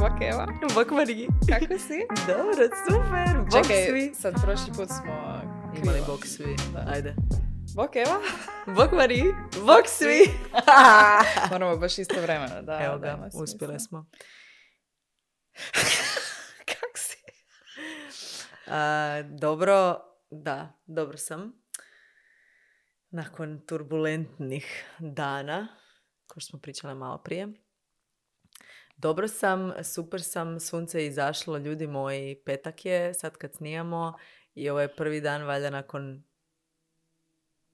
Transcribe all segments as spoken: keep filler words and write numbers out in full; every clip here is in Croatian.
Bok Eva. Bok Mariji. Kako si? Dobro, super. Bok Čekaj, svi. sad prošli put smo krivo. Imali bok svi. Da. Ajde. Bok Eva. Bok Mariji. Bok svi. Moramo baš isto vremena. Da, Evo da, ga, ima uspjeli smisla. smo. Kak si? A, dobro, da, dobro sam. Nakon turbulentnih dana, kao što smo pričali malo prije. Dobro sam, super sam, sunce je izašlo, ljudi moji, petak je, sad kad snijamo i ovo je prvi dan valjda nakon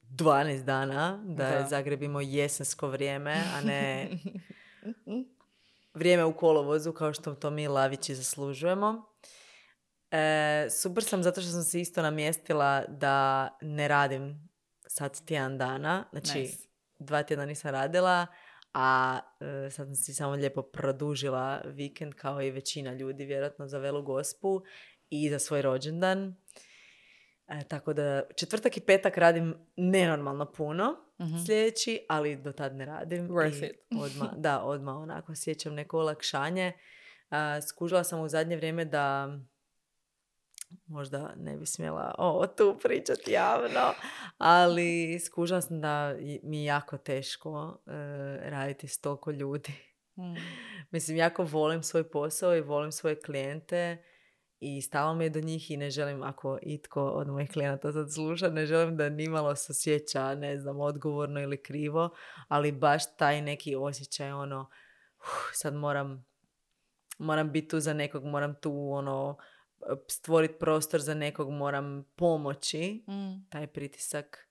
dvanaest dana da, Da. je Zagreb imao jesensko vrijeme, a ne vrijeme u kolovozu kao što to mi lavići zaslužujemo. E, super sam zato što sam se isto namjestila da ne radim sad tjedan dana, znači Nice. dva tjedna nisam radila, a e, sad sam si samo lijepo produžila vikend kao i većina ljudi vjerojatno za Velu Gospu i za svoj rođendan. E, tako da četvrtak i petak radim nenormalno puno Mhm. sljedeći, ali do tad ne radim. Worth I it. Odmah, da, odmah onako sjećam neko olakšanje. A, skužila sam u zadnje vrijeme da možda ne bi smjela ovo tu pričati javno, ali skužila sam da mi je jako teško e, raditi s toliko ljudi. Mm. Mislim, jako volim svoj posao i volim svoje klijente i stalo mi je do njih i ne želim, ako itko od mojih klijenata sad sluša, ne želim da nimalo se osjeća, ne znam, odgovorno ili krivo, ali baš taj neki osjećaj, ono, uh, sad moram, moram biti tu za nekog, moram tu, ono, stvoriti prostor za nekog, moram pomoći, Mm. taj pritisak.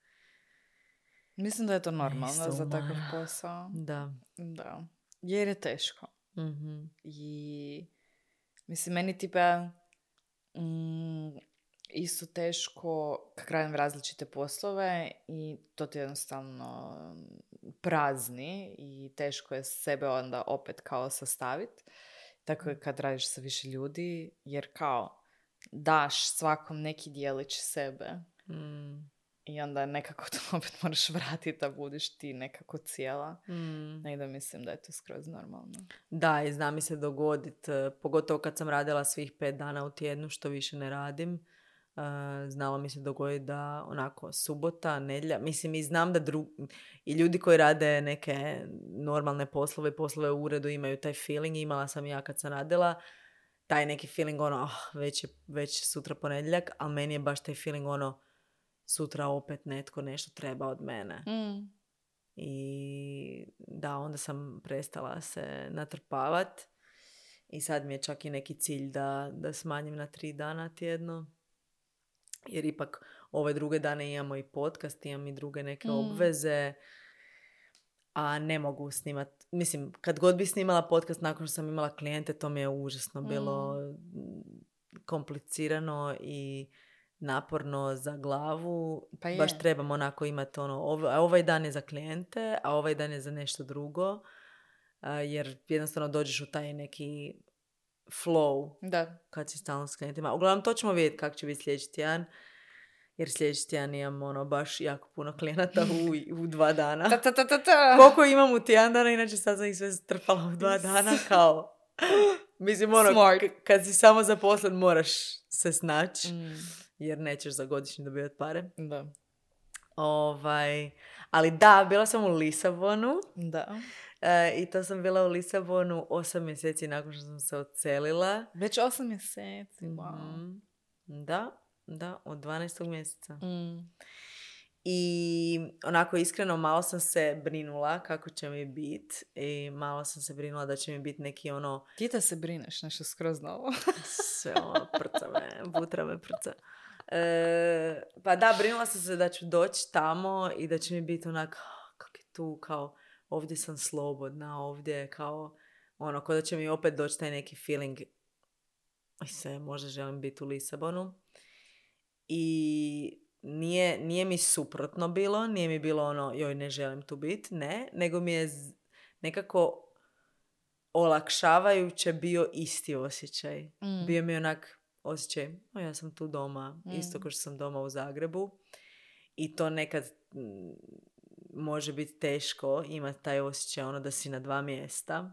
Mislim da je to normalno Isto za takav umara. posao. Da. Da. Jer je teško. Mhm. I mislim, meni tipa mm, isto teško kak radim različite poslove i to ti jednostavno prazni i teško je sebe onda opet kao sastaviti. Tako je kad radiš sa više ljudi, jer kao daš svakom neki dijelić sebe Mm. i onda nekako to opet moraš vratiti da budiš ti nekako cijela. Mm. I da mislim da je to skroz normalno. Da, i zna mi se dogodit, eh, pogotovo kad sam radila svih pet dana u tjednu, što više ne radim. Uh, znalo mi se dogoditi da onako subota, nedjelja, mislim i znam da dru- i ljudi koji rade neke normalne poslove, poslove u uredu imaju taj feeling, imala sam ja kad sam radila, taj neki feeling ono, oh, već je već sutra ponedjeljak, ali meni je baš taj feeling ono, sutra opet netko nešto treba od mene. Mm. I da, onda sam prestala se natrpavat i sad mi je čak i neki cilj da, da smanjim na tri dana tjedno. Jer ipak ove druge dane imamo i podcast, imam i druge neke Mm. obveze, a ne mogu snimat. Mislim, kad god bi snimala podcast nakon što sam imala klijente, to mi je užasno bilo mm, komplicirano i naporno za glavu. Pa je. Baš trebam onako imati ono, ov- a ovaj dan je za klijente, a ovaj dan je za nešto drugo, a, jer jednostavno dođeš u taj neki flow Da. kad si stalno s klijentima. Uglavnom, to ćemo vidjeti kako će biti sljedeći tjedan. Jer sljedeći tjedan imam ono, baš jako puno klijenata u, u dva dana. Ta, ta, ta, ta, ta. Koliko imam u tjedan dana, inače sad sam ih sve strpala u dva dana, kao... Mislim, ono, Smart. k- kad si samo zaposlen, moraš se snaći, Mm. jer nećeš za godišnji dobivati pare. Da. Ovaj, ali da, bila sam u Lisabonu. Da. E, I to sam bila u Lisabonu osam mjeseci nakon što sam se odselila. Već osam mjeseci, wow. Mhm. Da, da, od dvanaestog mjeseca. Mm. I onako iskreno malo sam se brinula kako će mi biti i malo sam se brinula da će mi biti neki ono Ti da se brineš, nešto skroz novo. sve ono prca me, butra me prca. E, pa da, brinula sam se da ću doći tamo i da će mi biti onak, "Ah, kak je tu, kao ovdje sam slobodna, ovdje kao ono, kao da će mi opet doći taj neki feeling i se možda želim biti u Lisabonu. I nije, nije mi suprotno bilo, nije mi bilo ono, joj, ne želim tu biti, ne, nego mi je z- nekako olakšavajuće bio isti osjećaj. Mm. Bio mi je onak osjećaj, o, ja sam tu doma, Mm. isto kao što sam doma u Zagrebu. I to nekad mm, može biti teško imati taj osjećaj ono da si na dva mjesta.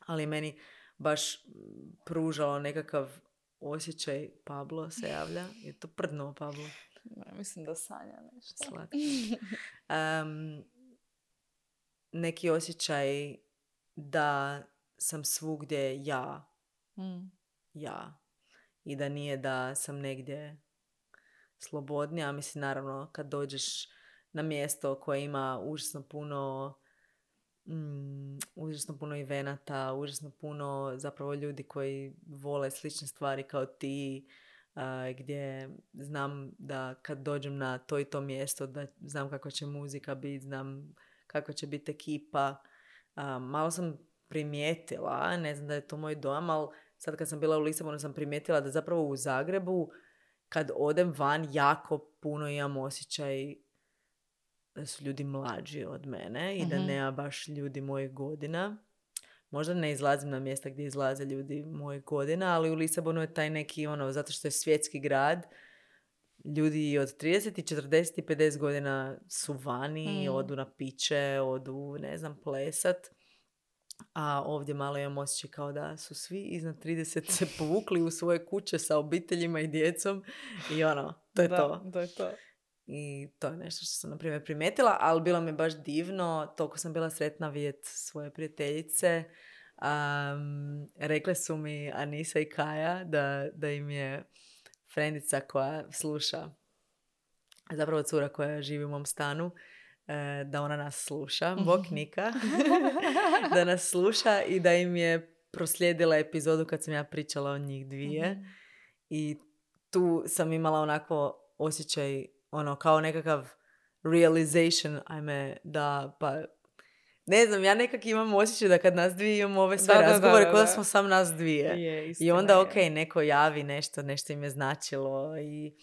Ali meni baš pružalo nekakav osjećaj. Pablo se javlja. Je to prdno, Pablo? Ne, mislim da sanja nešto. Slatko. Um, neki osjećaj da sam svugdje ja. Mm. Ja. I da nije da sam negdje slobodnija. Mislim, naravno, kad dođeš na mjesto koje ima užasno puno mm, užasno puno evenata, užasno puno zapravo ljudi koji vole slične stvari kao ti, uh, gdje znam da kad dođem na to i to mjesto, da znam kakva će muzika biti, znam kakva će biti ekipa. Uh, malo sam primijetila, ne znam da je to moj dojam, ali sad kad sam bila u Lisabonu sam primijetila da zapravo u Zagrebu kad odem van jako puno imam osjećaj da su ljudi mlađi od mene i da Mhm. nema baš ljudi mojih godina. Možda ne izlazim na mjesta gdje izlaze ljudi mojih godina, ali u Lisabonu je taj neki, ono, zato što je svjetski grad, ljudi od trideset, četrdeset i pedeset godina su vani, Mm. odu na piće, odu, ne znam, plesat. A ovdje malo imam osjećaj kao da su svi iznad trideset se povukli u svoje kuće sa obiteljima i djecom i ono, to je da, to. to je to. I to je nešto što sam, na primjer, primijetila, ali bilo mi baš divno. Toliko sam bila sretna vidjeti svoje prijateljice. Um, rekle su mi Anisa i Kaja da, da im je frendica koja sluša, zapravo cura koja živi u mom stanu, e, da ona nas sluša. Bok Nika. Da nas sluša i da im je proslijedila epizodu kad sam ja pričala o njih dvije. Mhm. I tu sam imala onako osjećaj, ono, kao nekakav realization, ajme, da, pa, ne znam, ja nekak imam osjećaj da kad nas dvije imamo ove sve Da, da, da, razgovore, da, kao da da. smo sam nas dvije. Je, I istina onda, je. ok, neko javi nešto, nešto im je značilo i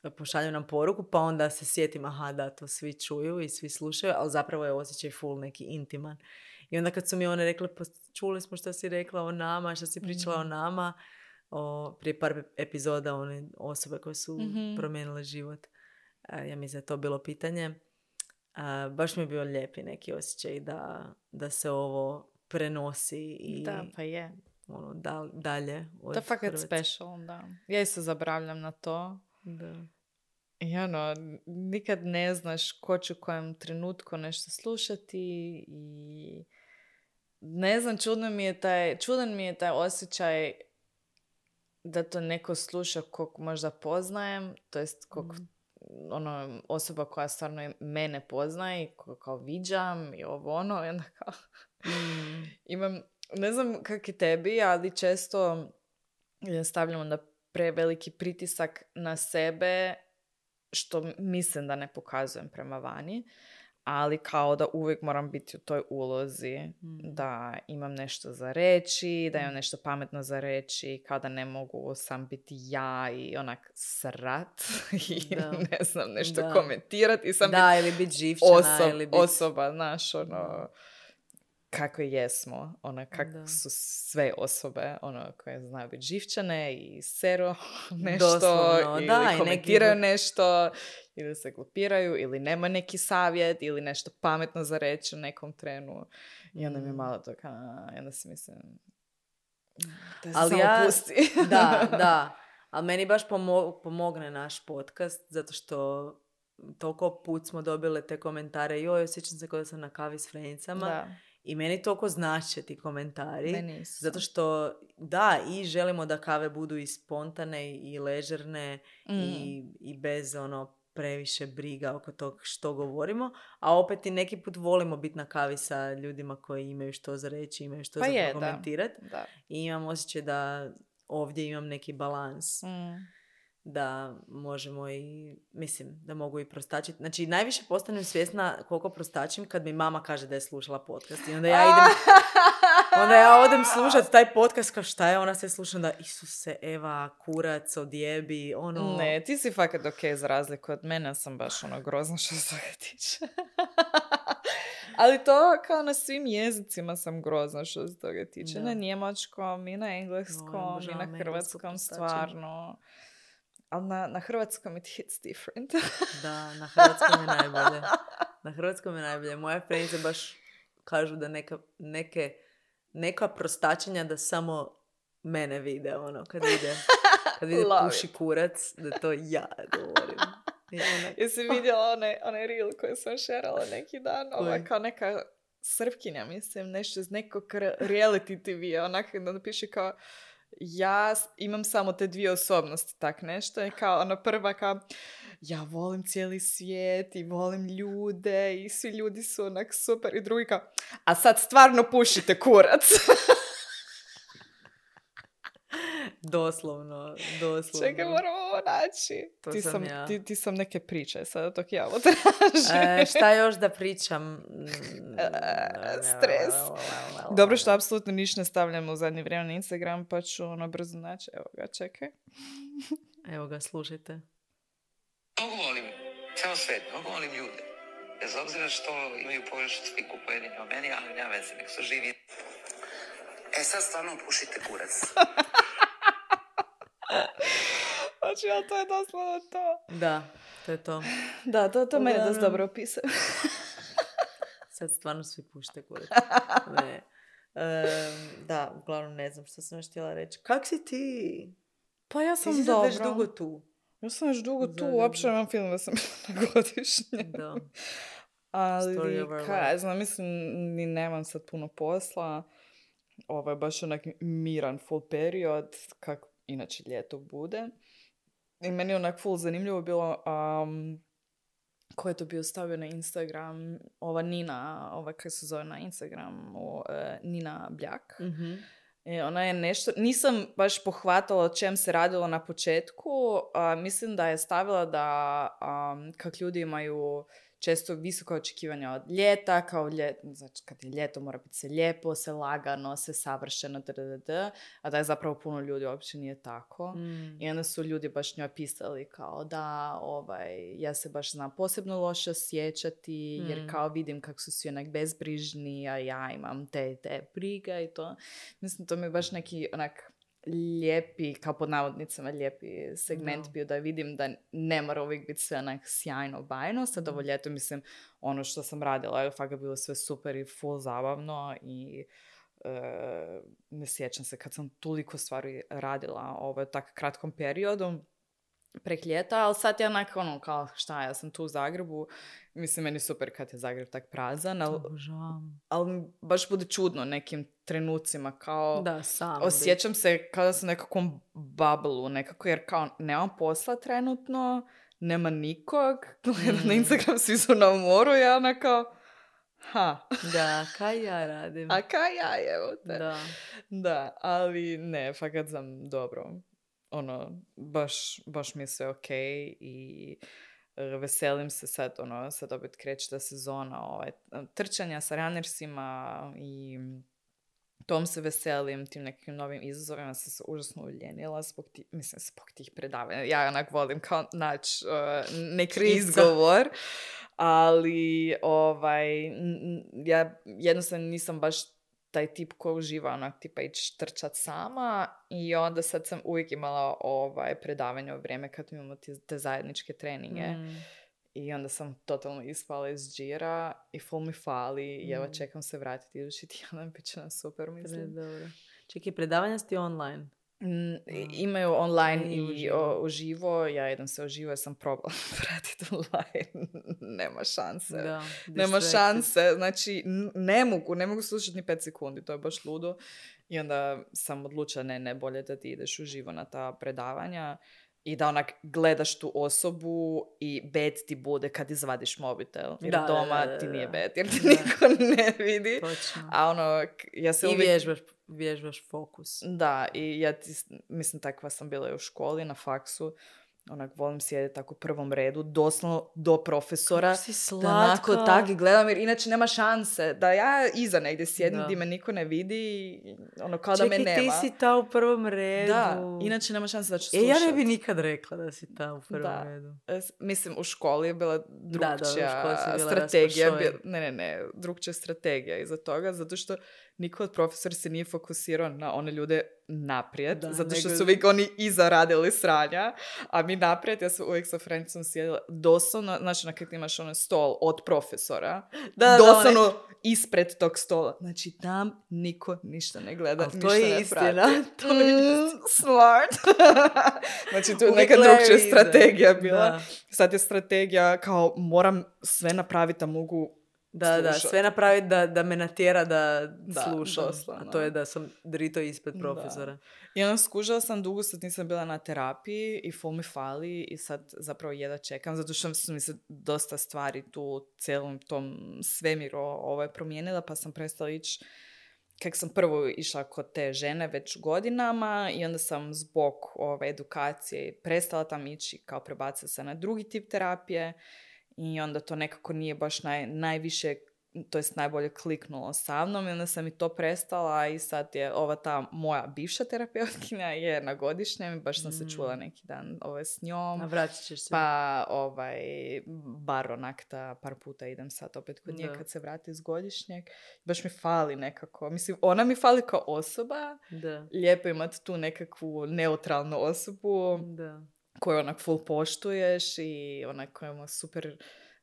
pošalju nam poruku, pa onda se sjetim, aha, da, to svi čuju i svi slušaju, ali zapravo je osjećaj full neki intiman. I onda kad su mi one rekle, pa čuli smo što si rekla o nama, što si pričala o nama, o, prije par epizoda, one osobe koje su Mhm. promijenile život. A, ja mislim da je to bilo pitanje. A, baš mi je bio lijepi neki osjećaj da, da se ovo prenosi i Da, pa je. ono, dal, dalje od To je fakat Hrvatske. special, da. Ja isto zaboravljam na to. Da. I ono, nikad ne znaš ko će u kojem trenutku nešto slušati i ne znam, čudno mi je taj, čudan mi je taj osjećaj da to neko sluša kog možda poznajem, to jest kog Mm. ono, osoba koja stvarno mene poznaje i koga kao viđam i ovo ono, i onda kao Mm. imam, ne znam kak je tebi, ali često stavljam onda preveliki pritisak na sebe, što mislim da ne pokazujem prema vani, ali kao da uvijek moram biti u toj ulozi, Mm. da imam nešto za reći, da imam Mm. nešto pametno za reći, kao da ne mogu sam biti ja i onak srat i Da. ne znam, nešto Da. komentirati i sam Da, biti ili biti živčana, osob, ili biti... osoba, znaš, ono, kako jesmo, ono, kako Da. su sve osobe, ono, koje znaju biti živčane i sero nešto, Doslovno, ili da, i komentiraju neki- nešto, ili se glupiraju, ili nema neki savjet, ili nešto pametno za reći u nekom trenu. I onda mi je Mm. malo to, a, i onda si mislim, da se Ali samo ja- pusti. Da, da. Ali meni baš pomo- pomogne naš podcast, zato što toliko put smo dobile te komentare, joj, osjećam se kao da sam na kavi s frenicama. Da, I meni toliko znače ti komentari. meni isto. Zato što, da, i želimo da kave budu i spontane i ležerne Mm. i, i bez ono previše briga oko tog što govorimo, a opet i neki put volimo biti na kavi sa ljudima koji imaju što za reći, imaju što Pa za je, da. prokomentirati. Da. I imam osjećaj da ovdje imam neki balans. Mm. Da možemo i, mislim, da mogu i prostačiti. Znači, najviše postanem svjesna koliko prostačim kad mi mama kaže da je slušala podcast. I onda ja idem, onda ja odem slušati taj podcast kao šta je, ona se sluša da Isuse, Eva, kurac, odjebi, ono... Ne, ti si fakat ok za razliku od mene, sam baš ono grozno što se toga tiče. Ali to kao na svim jezicima sam grozna što se toga tiče. Da. Na njemačkom i na engleskom i obožavam na englesko hrvatskom prostačenje. stvarno. Ali na, na hrvatskom it hits different. Da, na hrvatskom je najbolje. Na hrvatskom je najbolje. Moje frenice baš kažu da neka, neke neka prostačenja da samo mene vide, ono, kad vide, kad vide Love puši it. kurac, da to ja govorim. I onak, Jesi vidjela onaj, onaj reel koji sam šerala neki dan? Koji? Ova kao neka Srpkinja, mislim, nešto iz nekog re- reality T V-a. Onak da piše kao, ja s- imam samo te dvije osobnosti, tak nešto. I kao ona prva kao, ja volim cijeli svijet i volim ljude i svi ljudi su onak super. I drugi kao, a sad stvarno pušite kurac. doslovno, doslovno. Čekaj, moramo ovo naći. To ti, sam sam, ja. ti, ti sam neke priče, sada dok ja ovo tražim. E, šta još da pričam? Mm, Stres. Dobro što apsolutno ništa ne stavljamo u zadnje vrijeme na Instagram, pa ću ono brzo naći. Evo ga, čekaj. Evo ga, slušajte. Mnogo volim ceo svet, mnogo volim ljude. Bez obzira što imaju pogrešnu sliku pojedini o meni, ali nema veze, nek su živi. E sad stvarno pušite kurac. Znači, ali to je doslovno to. Da, to je to. Da, to, to meni dosta Uglavnom- dobro opisuje. Sad stvarno svi pušte kurac. Ne. Em, da, uglavnom ne znam što sam još htjela reći. Kak si ti? Pa ja Ti sam si sad dobro. već dugo tu. Ja sam već dugo tu, Zagrebu. uopće nemam film da sam na godišnje. Da. Ali, Story of our kaj, ja life. znam, mislim, ni nemam sad puno posla. Ovo je baš onak miran full period, kako inače ljeto bude. I meni je onak full zanimljivo bilo, um, ko je to bio stavio na Instagram, ova Nina, ova kako se zove na Instagramu, uh, Nina Bljak. Mhm. E, ona je nešto, nisam baš pohvatala o čem se radilo na početku, a, mislim da je stavila da um, kak ljudi imaju često visoka očekivanja od ljeta, kao ljet, znači kad je ljeto mora biti se lijepo, se lagano, se savršeno, ddd, a da je zapravo puno ljudi uopće nije tako. Mm. I onda su ljudi baš njoj pisali kao da, ovaj, ja se baš znam posebno loše osjećati, jer Mm. kao vidim kako su svi onak bezbrižni, a ja imam te, te briga i to. Mislim, to mi je baš neki onak lijepi, kao pod navodnicama lijepi segment Da. bio da vidim da ne mora uvijek biti sve onak sjajno bajno. Sad ovo ljeto, mislim, ono što sam radila je fakat bilo sve super i full zabavno i e, ne sjećam se kad sam toliko stvari radila ovo u tako kratkom periodu prek ljeta, ali sad je onak ono kao šta, ja sam tu u Zagrebu, mislim meni super kad je Zagreb tak prazan, ali, Obožavam. ali mi baš bude čudno nekim trenucima kao Da, sam. osjećam se kao da sam u nekakvom bubbleu nekako, jer kao nemam posla trenutno, nema nikog, gledam na Mm. Instagram, svi su na moru, ja ona kao ha, biti. Da, kaj ja radim? a kaj ja evo te. Da. Da, ali ne, fakat sam dobro. Ono, baš, baš mi je sve okej i e, veselim se sad, ono, sad opet kreće ta sezona ovaj, trčanja sa runnersima i tom se veselim, tim nekim novim izazovima sam se užasno uljenila zbog ti, mislim, zbog tih predavanja. Ja onak volim kao naći uh, neki Krivca. izgovor, ali ovaj, n- n- ja jednostavno nisam baš taj tip koji uživa onak tipa ići trčat sama i onda sad sam uvijek imala ovaj predavanje u vrijeme kad imamo te, te zajedničke treninge. Mm. I onda sam totalno ispala iz džira i full mi fali i evo Mm. čekam se vratiti idući tjedan, bit će nam super, mislim. Dobro. Čekaj, predavanja ste online? Mm, i- imaju online I i, uživo. o, uživo, ja jedan se uživo, ja sam probala vratiti online, nema šanse. Da. Nema distracted. šanse, znači n- ne mogu, ne mogu slušati ni pet sekundi, to je baš ludo. I onda sam odlučila, ne, ne, bolje da ti ideš uživo na ta predavanja i da onak gledaš tu osobu i bed ti bude kad izvadiš mobitel. Jer Da, da, doma da, da, ti nije da. bed, jer te Da. niko ne vidi. Točno. A ono, k- ja se I uvijek... vježbaš, vježbaš fokus. Da, i ja ti, s- mislim, takva sam bila i u školi, na faksu. Onak, volim sjediti tako u prvom redu, doslovno do profesora. Kako si Da onako slatka. tak i gledam, jer inače nema šanse. Da ja iza negdje sjedim Da. gdje me niko ne vidi, i ono kao da me Čekaj, nema. ti si ta u prvom redu. Da, inače nema šanse da ću E, slušat. ja ne bi nikad rekla da si ta u prvom Da. redu. E, s- Mislim, u školi je bila da, u drugčija školi si bila strategija. raspašoj. bi- Ne, ne, ne, drugčija strategija iza toga, zato što niko od profesora se nije fokusirao na one ljude naprijed, Da, zato što nego- su uvijek oni iza radili sranja, a mi naprijed, ja sam uvijek sa Francom sjedila doslovno, znači na kak imaš onaj stol od profesora, Da, da, doslovno onaj- ispred tog stola. Znači, tam niko ništa ne gleda, Ali ništa to je ne istina, prati. to je Mm, smart. Znači, tu je Uvijek neka gledaju drugčija iza. strategija bila. Da. Sad je strategija kao moram sve napraviti da mogu Da, da, slušat. sve napraviti da, da me natjera da, Da, slušam. doslovno. A to je da sam drito ispred Da. profesora. I onda skužila sam, dugo sad nisam bila na terapiji i full mi fali i sad zapravo jedva čekam, zato što su mi se dosta stvari tu u cijelom tom svemiru ovaj, promijenila, pa sam prestala ići, kak sam prvo išla kod te žene već godinama i onda sam zbog ove edukacije prestala tam ići, kao prebacila se na drugi tip terapije i onda to nekako nije baš naj, najviše, to jest najbolje kliknulo sa mnom i onda sam i to prestala i sad je ova ta moja bivša terapeutkinja je na godišnjem, baš sam se čula neki dan ovaj, s njom. A vratit ćeš se. Pa ovaj, bar onak ta par puta idem sad opet kod nje Da. kad se vrati iz godišnjeg. Baš mi fali nekako. Mislim, ona mi fali kao osoba. Da. Lijepo imati tu nekakvu neutralnu osobu Da. koju onak full poštuješ i onak koja ima super,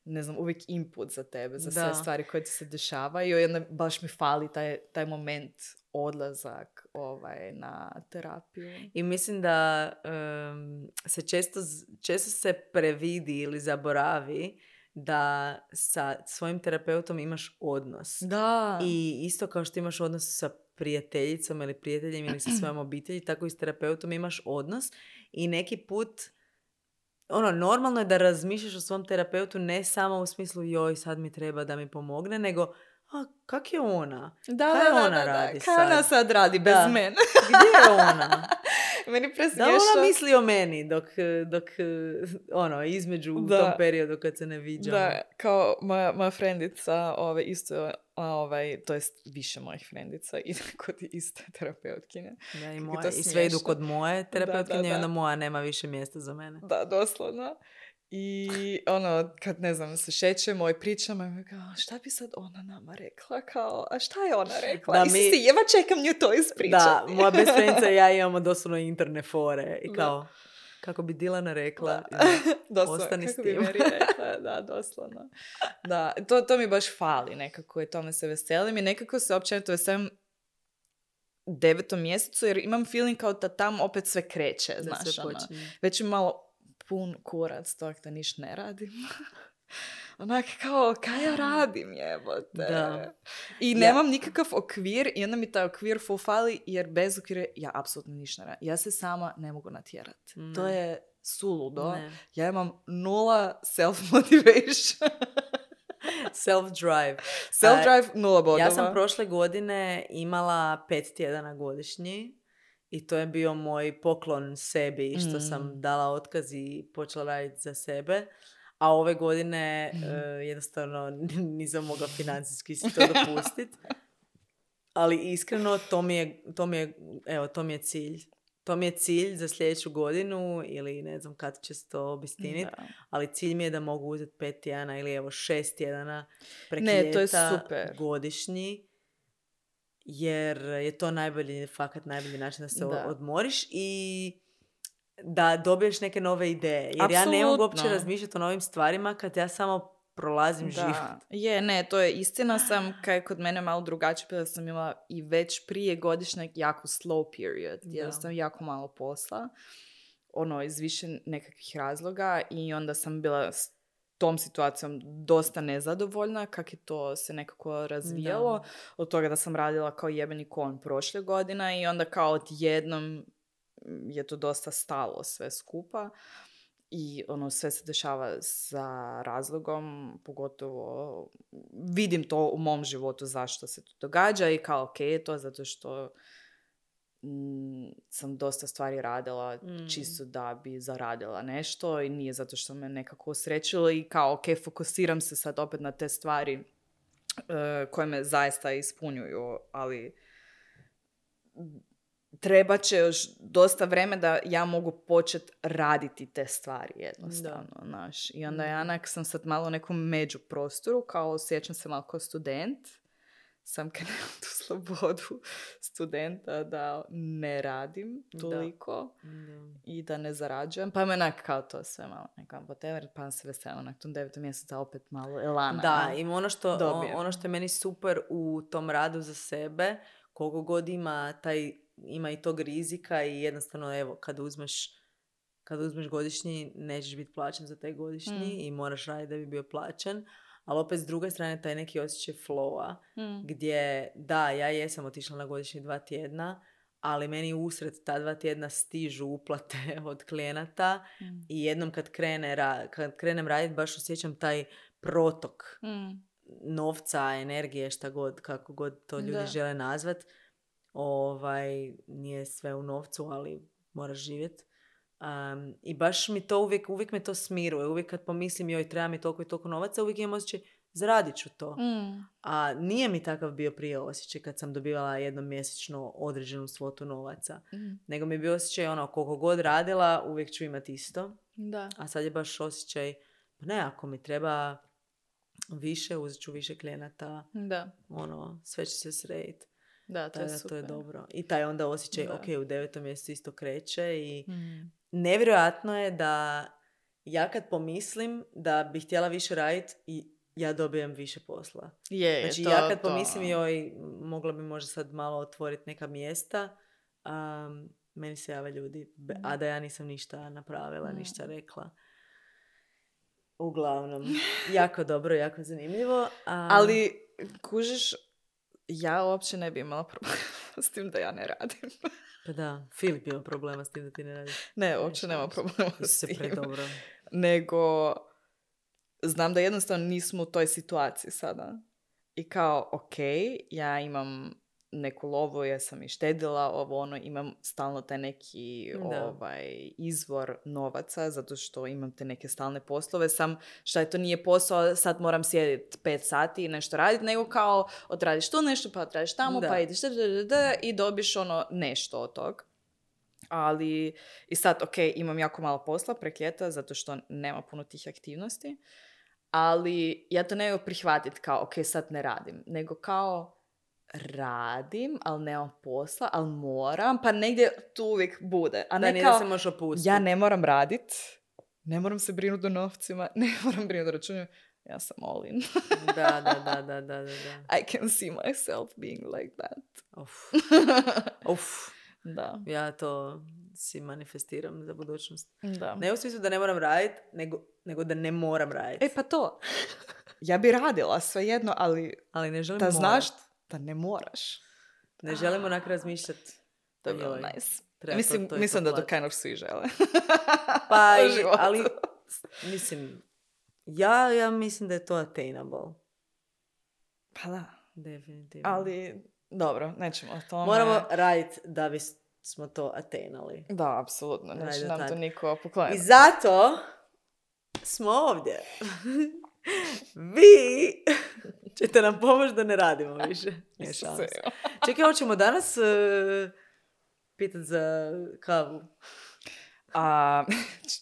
ne znam, uvijek input za tebe, za sve Da. stvari koje ti se dešavaju i onda baš mi fali taj, taj moment odlazak ovaj, na terapiju. I mislim da em, se često, z- često se previdi ili zaboravi da sa svojim terapeutom imaš odnos. Da. I isto kao što imaš odnos sa prijateljicom ili prijateljem ili sa svojom obitelji, tako i s terapeutom imaš odnos. I neki put, ono, normalno je da razmišljaš o svom terapeutu ne samo u smislu joj, sad mi treba da mi pomogne, nego a, kak je ona? Da, Kaj da, da, ona da, da. radi Kaj sad? ona sad radi bez Da. mene? Gdje je ona? Meni Da presmiješno. ona misli o meni dok, dok ono, između u Da. tom periodu kad se ne viđamo. Da, kao moja, moja frendica, ove, isto, a, ovaj, to jest više mojih frendica ide kod iste terapeutkinje. Da, i, Kako je moja, to i sve idu smiješno. kod moje terapeutkinje da, i da. onda moja nema više mjesta za mene. Da, doslovno. I ono, kad ne znam, se šećemo i pričamo, i kao, šta bi sad ona nama rekla? Kao, a šta je ona rekla? Da, Da, mi- mi... Isuse, jeva čekam nju to ispričati. Da, moja best friendica i ja imamo doslovno interne fore. I Da. kao, kako bi Dilana rekla, Doslovno, ostani s kako bi tim. Meri rekla, da, doslovno. Da, to, to mi baš fali nekako i tome se veselim i nekako se općenito veselim devetom mjesecu jer imam feeling kao da tam opet sve kreće, da znaš, se ono. počinje. Već je malo pun kurac tog da niš ne radim. Onak kao, kaj ja radim, jebote. Da. I Ja- nemam nikakav okvir i onda mi taj okvir full fali jer bez okvira ja apsolutno ništa ne radim. Ja se sama ne mogu natjerati. Ne. To je suludo. Ne. Ja imam nula self-motivation. Self-drive. Self-drive, nula bodova. Ja sam prošle godine imala pet tjedana godišnji i to je bio moj poklon sebi što Mm. sam dala otkaz i počela raditi za sebe. A ove godine Mm. eh, jednostavno nisam mogla financijski si to dopustiti. Ali iskreno to mi je, to mi je, evo, to mi je cilj. To mi je cilj za sljedeću godinu ili ne znam kad će se to obistiniti. Da. Ali cilj mi je da mogu uzeti pet tjedana ili evo šest tjedana prek Ne, to je ljeta super. godišnji. Jer je to najbolji, fakat najbolji način da se Da. odmoriš i da dobiješ neke nove ideje. Jer ja ne mogu uopće Apsolutno. razmišljati o novim stvarima kad ja samo prolazim život. Da, je, ne, to je istina sam, kaj je kod mene malo drugačije, bila sam imala i već prije godišnjeg jako slow period, Da. jednostavno jako malo posla, ono, iz više nekakvih razloga i onda sam bila s tom situacijom dosta nezadovoljna, kak je to se nekako razvijalo, Da. od toga da sam radila kao jebeni kon prošle godine i onda kao odjednom je to dosta stalo sve skupa. I ono, sve se dešava sa razlogom, pogotovo vidim to u mom životu zašto se to događa i kao ok je to zato što mm, sam dosta stvari radila Mm. čisto da bi zaradila nešto i nije zato što me nekako osrećilo i kao ok, fokusiram se sad opet na te stvari eh, koje me zaista ispunjuju, ali treba će još dosta vreme da ja mogu početi raditi te stvari jednostavno, znaš. I onda ja Mm. onak sam sad malo u nekom međuprostoru, kao osjećam se malo kao student. sam kad nemam tu slobodu studenta da ne radim toliko Da. i da ne zarađujem. Pa me onak kao to sve malo nekam whatever, pa se veselim onak tom devetom mjeseca opet malo elana. Da, ja, i ono što, dobijem. ono što je meni super u tom radu za sebe, koliko god ima, taj, ima i tog rizika i jednostavno, evo, kad uzmeš, kad uzmeš godišnji, nećeš biti plaćen za taj godišnji Mm. i moraš raditi da bi bio plaćen. Ali opet s druge strane taj neki osjećaj flowa, Mm. gdje, da, ja jesam otišla na godišnji dva tjedna, ali meni usred ta dva tjedna stižu uplate od klijenata Mm. i jednom kad, krene, ra- kad krenem raditi baš osjećam taj protok Mm. novca, energije, šta god, kako god to ljudi Da. žele nazvat. Ovaj, nije sve u novcu, ali moraš živjeti. Um, I baš mi to uvijek, uvijek me to smiruje. Uvijek kad pomislim joj treba mi toliko i toliko novaca, uvijek imam osjećaj zaradit ću to. Mm. A nije mi takav bio prije osjećaj kad sam dobivala jednom mjesečno određenu svotu novaca. Mm. Nego mi je bio osjećaj ono, koliko god radila, uvijek ću imati isto. Da. A sad je baš osjećaj, pa ne, ako mi treba više, uzet ću više klijenata, Da. ono, sve će se srediti. Da, to je To, super. to je dobro. I taj onda osjećaj, Da. ok, u devetom mjesecu isto kreće i Mm. nevjerojatno je da ja kad pomislim da bih htjela više raditi i ja dobijem više posla. Je, je, Znači to, ja kad to. pomislim joj, mogla bi možda sad malo otvoriti neka mjesta, um, meni se jave ljudi, be- a da ja nisam ništa napravila, Mm. ništa rekla. Uglavnom, jako dobro, jako zanimljivo. Um, Ali, kužiš, ja uopće ne bi imala problema s tim da ja ne radim. Pa da, Filip ima problema s tim da ti ne radiš. Ne, uopće Nešto nema mislim. problema Ti si s se tim. predobro. Nego, znam da jednostavno nismo u toj situaciji sada. I kao, ok, ja imam neku lovu, ja sam i štedila, ovo ono, imam stalno taj neki Da. ovaj, izvor novaca, zato što imam te neke stalne poslove, sam šta je to nije posao, sad moram sjediti pet sati i nešto raditi, nego kao odradiš tu nešto, pa odradiš tamo, Da. pa ideš da, da, da, da, i dobiš ono nešto od tog. Ali, i sad, ok, imam jako malo posla prek ljeta, zato što nema puno tih aktivnosti, ali ja to ne mogu prihvatiti kao, ok, sad ne radim, nego kao radim, ali nemam posla, ali moram, pa negdje tu uvijek bude. A Da, ne nije kao, da se možeš opustiti. ja ne moram radit, ne moram se brinuti o novcima, ne moram brinuti o računima, ja sam all in. Da, da, da, da, da, da. I can see myself being like that. Uf. Uf. Da, Ja to si manifestiram za budućnost. da. Ne u smislu da ne moram raditi, nego, nego da ne moram raditi. E pa to, ja bi radila svejedno, ali Ali ne želim da morat. znaš da ne moraš. Ne želim onak razmišljati. To je bilo Joj, nice. treba Mislim, to- to i mislim da to poplatiti. kind of svi žele. Pa, u i- životu. ali, mislim, ja, ja mislim da je to attainable. Pa da. Definitivno. Ali, dobro, nećemo o tome. Moramo raditi da bi smo to attainali. Da, apsolutno. Neće Ajde, nam to tako. niko I pokloniti. zato smo ovdje. Vi ćete nam pomoći da ne radimo više. Nije šanse. Čekaj, hoćemo danas uh, pitat za kavu. A,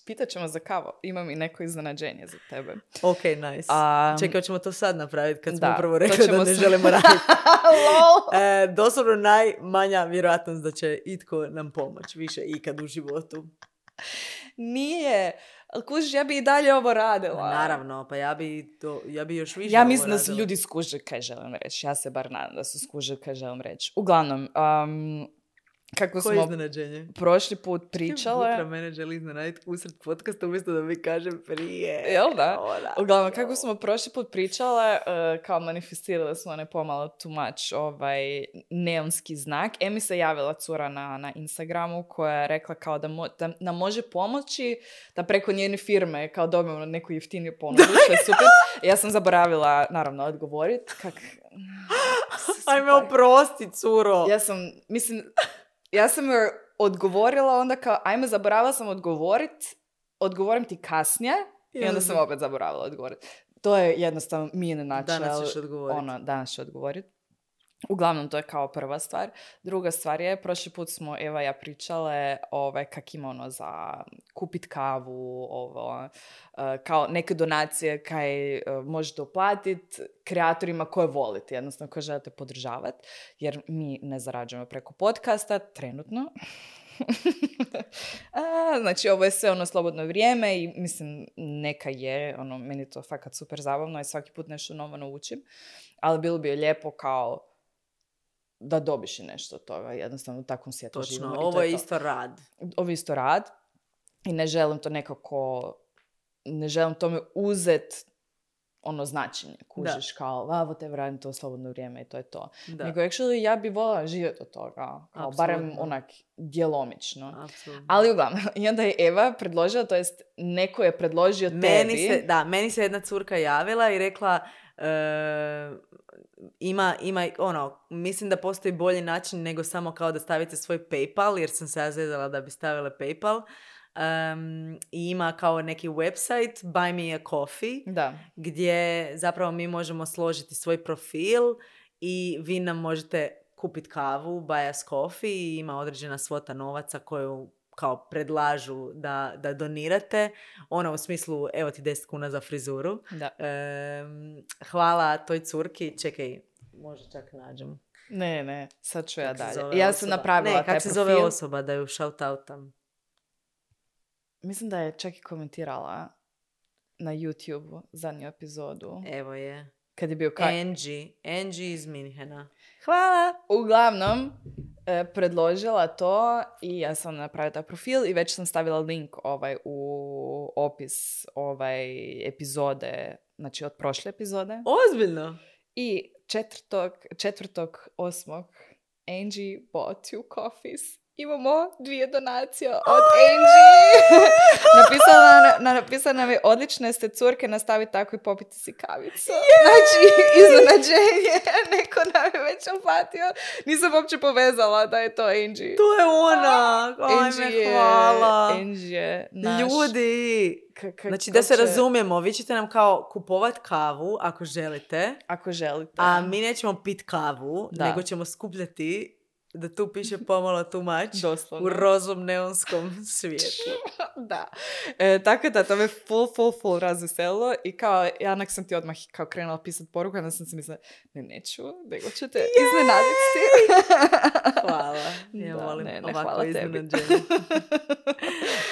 pitat ćemo za kavu. Imam i neko iznenađenje za tebe. Ok, nice. A, Čekaj, hoćemo to sad napraviti kad smo da, upravo to rekli da ćemo ne sad. želimo raditi. Lol. E, doslovno najmanja vjerojatnost da će itko nam pomoći više ikad u životu. Nije. Ali kužiš, ja bi i dalje ovo radila. Ma, naravno, pa ja bi, to, ja bi još više Ja ovo mislim da su radila. ljudi skužili kaj želim reći. Ja se bar nadam da su skužili kaj želim reći. Uglavnom, um, kako Koje smo iznenađenje? prošli put pričale... Putra mene želi iznenaditi usred podcasta umjesto da mi kažem prije. Jel da? Ona. Uglavnom, kako smo prošli put pričale, uh, kao manifestirali smo ne pomalo too much ovaj neonski znak. E mi se javila cura na, na Instagramu koja je rekla kao da, mo- da nam može pomoći da preko njene firme kao dobijemo neku jeftiniju ponudu, što je super. Ja sam zaboravila, naravno, odgovoriti. Kak... Ajme, oprosti, curo. Ja sam, mislim, ja sam joj odgovorila onda kao, ajme, zaboravila sam odgovorit, odgovorim ti kasnije i onda sam opet zaboravila odgovoriti. To je jednostavno mi je način. Danas ćeš odgovoriti. Ono, danas ću odgovoriti. Uglavnom, to je kao prva stvar. Druga stvar je, prošli put smo Eva i ja pričale ovaj, kak ima ono za kupit kavu, ovo, uh, kao neke donacije kaj uh, možete uplatiti kreatorima koje volite, jednostavno koje želite podržavati, jer mi ne zarađujemo preko podcasta, trenutno. A, znači, ovo je sve ono slobodno vrijeme i mislim, neka je, ono, meni je to fakat super zabavno i svaki put nešto novo naučim, ali bilo bi lijepo kao da dobiš i nešto od toga, jednostavno u takvom svijetu živimo. Točno, ovo je isto rad. Ovo je isto rad i ne želim to nekako, ne želim tome uzet ono značenje, kužiš, da. Kao, a, whatever, radim to slobodno vrijeme i to je to. Da. Nego, actually, ja bi voljela živjeti od toga, kao Absolutno. Barem onak djelomično. Absolutno. Ali uglavnom, i onda je Eva predložila, to jest neko je predložio meni tebi. Se, da, meni se jedna curka javila i rekla, uh, ima, ima, ono, mislim da postoji bolji način nego samo kao da stavite svoj PayPal, jer sam se ja zezala da bi stavile PayPal. Um, i ima kao neki website Buy Me a Coffee, da. Gdje zapravo mi možemo složiti svoj profil i vi nam možete kupiti kavu, buy us coffee, i ima određena svota novaca koju kao predlažu da, da donirate. Ono u smislu, evo ti deset kuna za frizuru. Da. Um, hvala toj curki. Čekaj, možda čak nađem. Ne, ne, sad ću ja dalje. Ja sam napravila ne, taj kak se profil. zove osoba da ju shout-outam? Mislim da je čak i komentirala na YouTube zadnju epizodu. Evo je. Kad je bio ka... Angie. Angie iz Minhena. Hvala! Uglavnom, e, predložila to i ja sam napravila taj profil i već sam stavila link ovaj, u opis ovaj, epizode, znači od prošle epizode. Ozbiljno? I četvrtog, četvrtog osmog Angie bought you coffees. Imamo dvije donacije od Angie. napisala, na, napisala nam je, odlične ste curke, nastavi tako i popiti si kavicu. Yeah! Znači, iznenađenje. Neko nam je već uplatio. Nisam uopće povezala da je to Angie. To je ona. Ajme, hvala. Angie je naš... Ljudi. K- k- znači, da se će... razumijemo, vi ćete nam kao kupovat kavu ako želite. Ako želite. A mi nećemo pit kavu, da. Nego ćemo skupljati da tu piše pomalo too much. Doslovno. U rozom neonskom svijetu. Da. E, tako da, to me full, full, full razveselilo i kao, ja onak sam ti odmah kao krenula pisati poruku, onda sam se mislila, ne, neću, nego ću te Yay! Iznenaditi. Hvala. Ja da, volim ne, ne, ovako iznenađenje.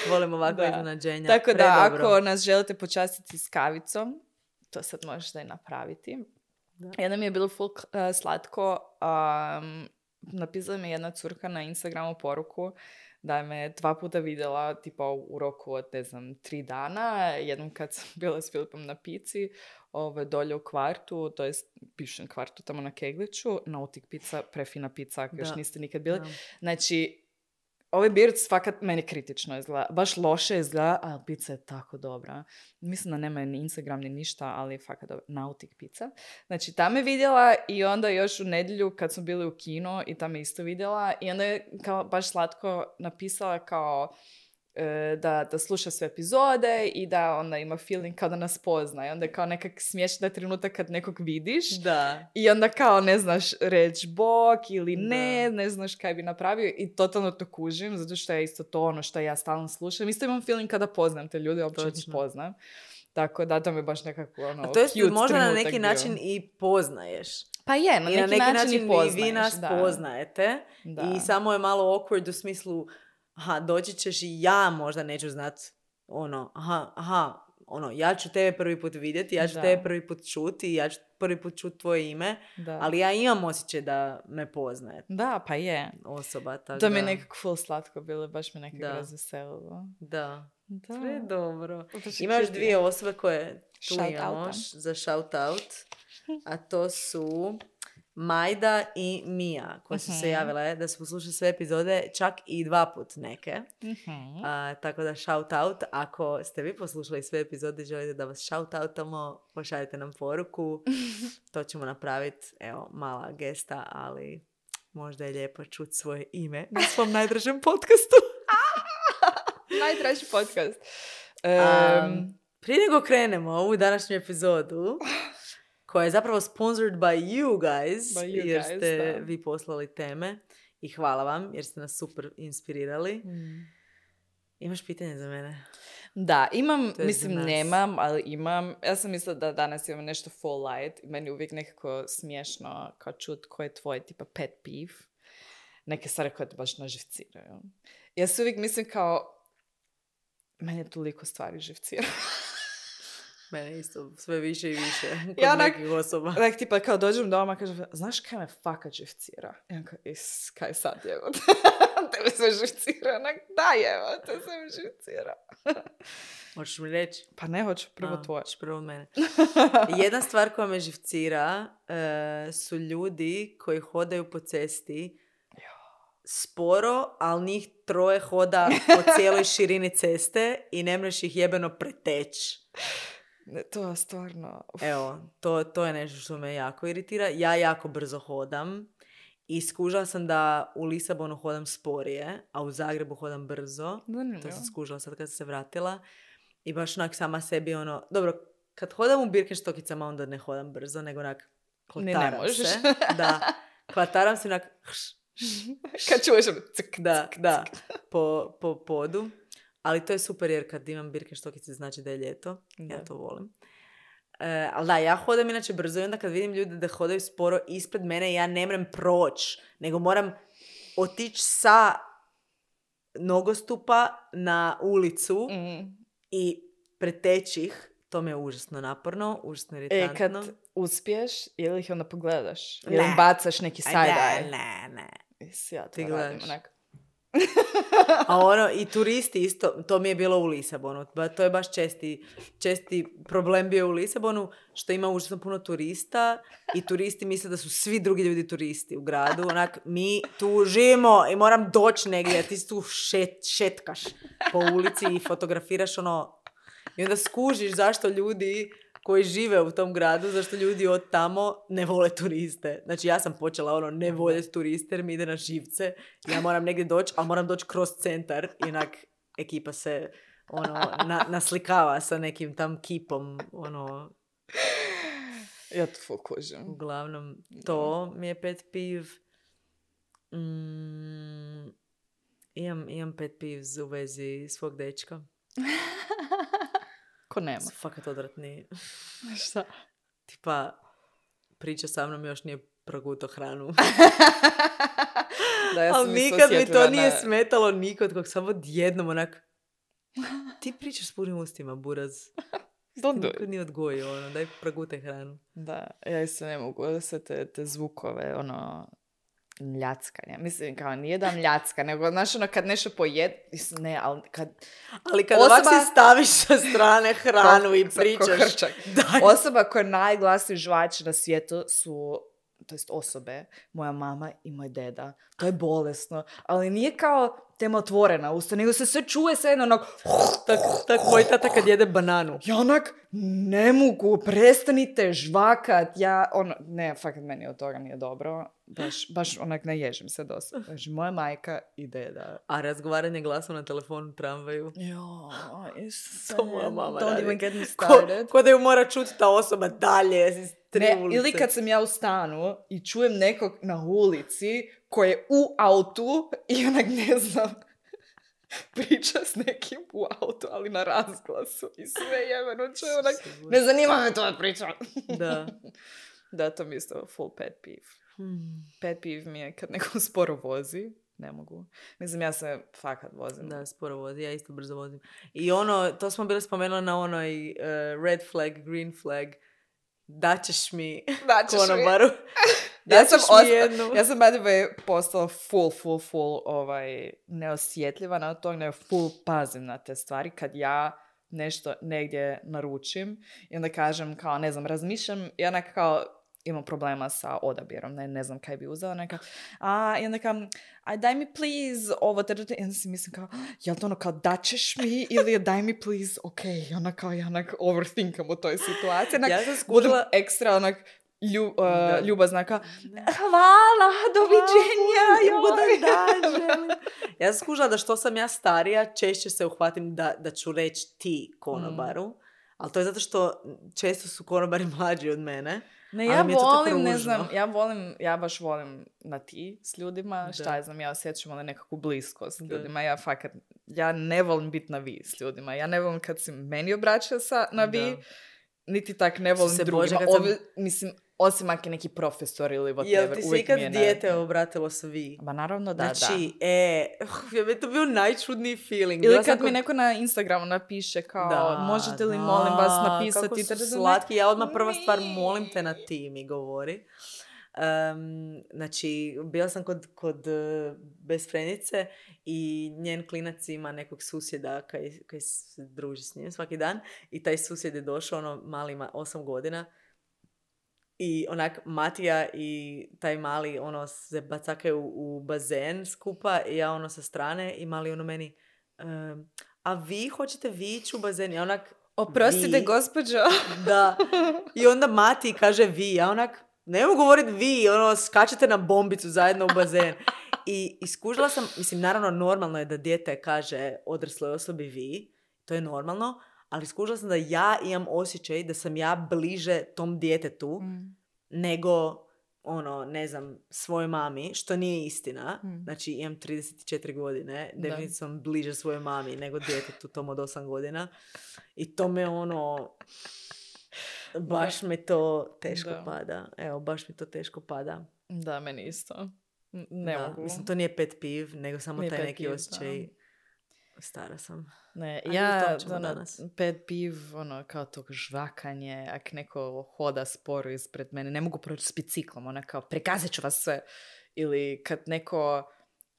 Volim ovako da. Iznenađenja. Tako da, Predobro. ako nas želite počastiti s kavicom, to sad možete i napraviti. Da. Jedno mi je bilo full uh, slatko. Um, napisala mi jedna curka na Instagramu poruku da me dva puta vidjela tipa u roku od, ne znam, tri dana. Jednom kad sam bila s Filipom na pici, ove, dolje u kvartu, to jest bivšem kvartu tamo na Kegliću, Nautic pizza, prefina pizza, ako još niste nikad bili. Da. Znači, ovaj Birds fakat meni kritično izgleda. Baš loše izgleda, ali pizza je tako dobra. Mislim da nema ni Instagram ni ništa, ali fakat dobra. Nautic pizza. Znači, tam je vidjela i onda još u nedjelju kad smo bili u kino i tam je isto vidjela i onda je kao baš slatko napisala kao e, da, da sluša sve epizode i da onda ima feeling kao da nas pozna. I onda je kao nekak smiješna trenutak kad nekog vidiš. Da. I onda kao ne znaš reći bok ili ne, da. Ne znaš kaj bi napravio i totalno to kužim, zato što je isto to ono što ja stalno slušam. Isto imam feeling kada poznam te ljude, uopće ih poznam. Tako da to mi je baš nekako ono a to jest cute možda na neki bio. Način i poznaješ. Pa je, na, I neki, na neki način, način i poznaješ. I vi nas da. Poznajete da. I samo je malo awkward u smislu aha, doći ćeš i ja možda neću znat ono, aha, aha, ono, ja ću tebe prvi put vidjeti, ja ću da. Tebe prvi put čuti, ja ću prvi put čuti tvoje ime, da. Ali ja imam osjećaj da me poznaje. Da, pa je. Osoba, tako to da. mi je nekako full slatko bilo, baš me nekako razveselilo. Da. Da. Sve dobro. Imaš dvije osobe koje tu shout imamo out. Za shout out, a to su Majda i Mija, koje su uh-huh. se javile da su poslušali sve epizode, čak i dva put neke. Uh-huh. A, tako da shout out. Ako ste vi poslušali sve epizode i želite da vas shout outamo, pošaljite nam poruku. To ćemo napraviti. Evo, mala gesta, ali možda je lijepo čuti svoje ime na svom najdražem podcastu. Najdraži podcast. Um, um, prije nego krenemo ovu današnju epizodu, koja je zapravo sponsored by you guys, By you jer guys, ste da. vi poslali teme i hvala vam jer ste nas super inspirirali. Mm. Imaš pitanje za mene? Da, imam, To je mislim za nas. nemam, ali imam. Ja sam mislila da danas imam nešto full light i meni je uvijek nekako smiješno kao čut koji je tvoj tipa pet peeve. Neke stvari koje te baš naživciraju. Ja se uvijek mislim kao, meni je toliko stvari živcira. Mene isto, sve više i više kod Ja onak- nekih osoba. Like, tipa, kao dođem doma, kažem, znaš kaj me fakat živcira? Ja kao, is, kaj sad jevo? Tebe sve živcira. Onak, da jevo, te sve mi živcira. Hoćeš mi reći? Pa ne, hoću prvo A, tvoje. hoćeš prvo od mene. Jedna stvar koja me živcira e, su ljudi koji hodaju po cesti sporo, ali njih troje hoda po cijeloj širini ceste i ne možeš ih jebeno preteći. Ne, to je stvarno... uf. Evo, to, to je nešto što me jako iritira. Ja jako brzo hodam i skužila sam da u Lisabonu hodam sporije, a u Zagrebu hodam brzo. Zanimljivo. To sam skužila sad kad sam se vratila. I baš onak sama sebi ono... Dobro, kad hodam u Birkenstockicama onda ne hodam brzo, nego onak Ni ne klataram možeš. se. Da, klataram se onak... hš, Kad čuješ ono, cik, da, da, po, po podu. Ali to je super jer kad imam Birkenstockice znači da je ljeto. Ja Da. to volim. E, ali da, ja hodam inače brzo i onda kad vidim ljude da hodaju sporo ispred mene, ja ne moram proći, nego moram otići sa nogostupa na ulicu Mm. i preteći ih. To mi je užasno naporno, užasno E, iritantno. kad uspiješ, ili ih onda pogledaš? Ili Ne. im bacaš neki Aj, side-eye? ne, ne, ne. Is, ja to Ti radim, gledaš. onak. A ono, i turisti isto, to mi je bilo u Lisabonu. Ba, to je baš česti, česti problem bio u Lisabonu, što ima užasno puno turista i turisti misle da su svi drugi ljudi turisti u gradu. Onak, mi tu živimo i moram doći negdje, a ti tu šet, šetkaš po ulici i fotografiraš ono. I onda skužiš zašto ljudi koji žive u tom gradu, zašto ljudi od tamo ne vole turiste. Znači ja sam počela ono ne voljeti turiste jer mi ide na živce. Ja moram negdje doći, ali moram doći kroz centar i onak ekipa se ono na, naslikava sa nekim tam kipom. Ono, Ja to full kužim. uglavnom, to mi je pet peeve. Mm, imam, imam pet peeves u vezi svog dečka. Ko nema. Su fakat odvratni. Šta? Tipa, priča sa mnom još nije proguto hranu. Da, ja sam Ali isto nikad mi osjetljiva to nije na- smetalo nikod, kog samo odjednom onak... Ti pričaš s punim ustima, buraz. Don't do Nikad it. nije odgojio, ono, daj progutaj hranu. Da, ja isto ne mogu da se te, te zvukove, ono, mljackanja. Mislim, kao nije da mljacka, nego, znaš, ono, kad nešto pojed... Mislim, ne, ali kad... Ali kad Osoba- ovak si staviš sa strane hranu i Ko- ko pričaš... hrčak. Daj. Osoba koja je najglasniji žvač na svijetu su, to jest osobe, moja mama i moj deda. To je bolesno. Ali nije kao tema otvorena usta, nego se sve čuje sve jedno onak... Tak, tak moj tata kad jede bananu. Ja onak, ne mogu, prestanite žvakat. Ja, ono, ne, fakat meni od toga nije dobro. Baš, baš onak ne ježim se dosta. Znači, moja majka i deda. A razgovaranje glasom na telefonu u tramvaju. Jo, Isuse, To moja mama don't radi. even get me Ko, started. ko da ju mora čuti ta osoba dalje iz tri Ne, ulice. ili kad sam ja u stanu i čujem nekog na ulici koji je u autu i onak ne znam, priča s nekim u autu, ali na razglasu i sve jebeno čuje onak, ne zanima me to priča. Da. Da, to mi je isto full pet peeve. Hmm. Pet peeve mi je kad neko sporo vozi, ne mogu. Mislim, ja se fakat vozim. Da, sporo vozi, ja isto brzo vozim. I ono, to smo bili spomenuli na onoj uh, red flag, green flag. Daćeš mi Daćeš mi. konobaru. Ja sam, Daćeš mi osta- jednu. ja sam by the way postala full, full, full ovaj, neosjetljiva na to, nego full pazim na te stvari. Kad ja nešto negdje naručim i onda kažem kao, ne znam, razmišljam i onda kao imam problema sa odabirom, ne, ne znam kaj bi uzela, neka, a, i onda kao, aj daj mi please ovo, te, te, i onda si mislim kao, jel to ono kao daćeš mi ili je daj mi please, ok, i onda kao ja onak overthinkam u toj situaciji, onak, Ja sam budem skužila- ekstra onak lju, uh, Da. ljubazna, kao, hvala, doviđenja, Ugodan joj. dan, želim. Ja sam skužila da što sam ja starija, češće se uhvatim da, da ću reći ti konobaru. Ali to je zato što često su konobari mlađi od mene. Ne, ja ali mi je to tako volim, ne ružno. znam, ja volim, ja baš volim na ti s ljudima, Da. šta ja znam, ja osjećam ali nekakvu bliskost s Da. ljudima, ja fakat, ja ne volim biti na vi s ljudima, ja ne volim kad se meni obraća sa, na vi, Da. niti tak ne volim se drugima, Bože, kad sam- Ovi, mislim, osim ako je neki profesor ili whatever, Jel ti se uvijek ikad mi je dijete ne... obratilo s vi? Ma naravno da, Znači, da. e, uh, je to bio najčudniji feeling. Ili Bila sam kad mi kod- neko na Instagramu napiše kao, Da, možete li da, molim vas napisati... Kako su da, da, da, slatki. Ja odmah prva stvar, Mi. molim te na ti, mi govori. Um, znači, bila sam kod, kod uh, besfrenice i njen klinac ima nekog susjeda kaj, kaj se druži s njim svaki dan i taj susjed je došao, ono, mali ima osam godina i onak Matija i taj mali ono se bacakaju u, u bazen skupa i ja ono sa strane i mali ono meni um, a vi hoćete vi ići u bazen? Ja onak Oprostite, vi. gospođo. Da. I onda Mati kaže vi. Ja onak, ne mogu govoriti vi, ono, skačete na bombicu zajedno u bazen. I iskužila sam, mislim, naravno normalno je da dijete kaže odrasloj osobi vi, to je normalno, ali skužila sam da ja imam osjećaj da sam ja bliže tom djetetu Mm. nego, ono, ne znam, svojoj mami, što nije istina. Mm. Znači, imam trideset četiri godine, Da. definitivno sam bliže svojoj mami nego djetetu tom od osam godina. I to me, ono, baš mi to teško Da. pada. Evo, baš mi to teško pada. Da, meni isto. N- Ne Da, mogu. mislim, to nije pet piv, nego samo Nije taj pet neki piv, osjećaj. Stara sam. Ne, A nije ja, to ćemo ono, danas. pet piv, ono, kao tog žvakanje, ak neko hoda sporo ispred mene, ne mogu proći s biciklom, ona kao, pregazit ću vas sve. Ili kad neko,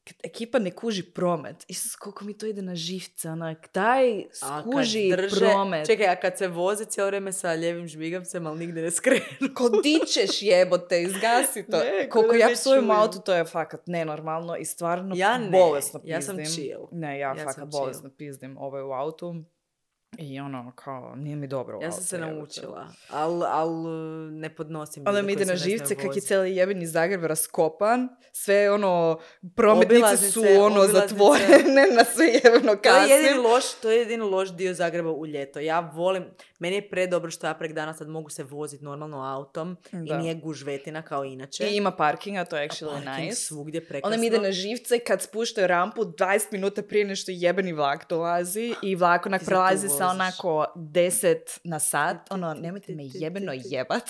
kad ekipa ne kuži promet, Isus, koliko mi to ide na živce, onak, daj, A kad skuži drže- promet. Čekaj, a kad se voze cijelo vrijeme sa ljevim žmigavcem, ali nigdje ne skrenu. Ko dičeš jebote, izgasi to. Ne, Koliko ko da ja ne psujem čujem. auto, to je fakat nenormalno i stvarno Ja ne, bolesno pizdim. ja sam chill. Ne, ja, Ja fakat sam bolesno pizdim ovaj u autu. I ono, kao, nije mi dobro u Ja autu. sam se jebote. naučila, ali al, ne podnosim. Onda ljude mi ide koji na se ne znaju živce kak je voziti. cijeli jebeni Zagreb raskopan. Sve ono, prometnice su Obilaznice, ono obilaznice. zatvorene, na sve jebeno To je jedini kasnim. loš, to je jedini loš dio Zagreba u ljeto. Ja volim, meni je predobro što ja prek dana sad mogu se voziti normalno autom Da. i nije gužvetina kao inače. I ima parkinga, to je A actually parking nice. svugdje prekrasno. Onda mi ide na živce kad spuštaju rampu dvadeset minuta prije nešto jebeni vlak dolazi i vlak onak Ti se tu prelazi sa voziš. onako deset na sat. Ti, ti, Ono, ti, nemojte ti, me ti, jebeno ti, ti. jebat.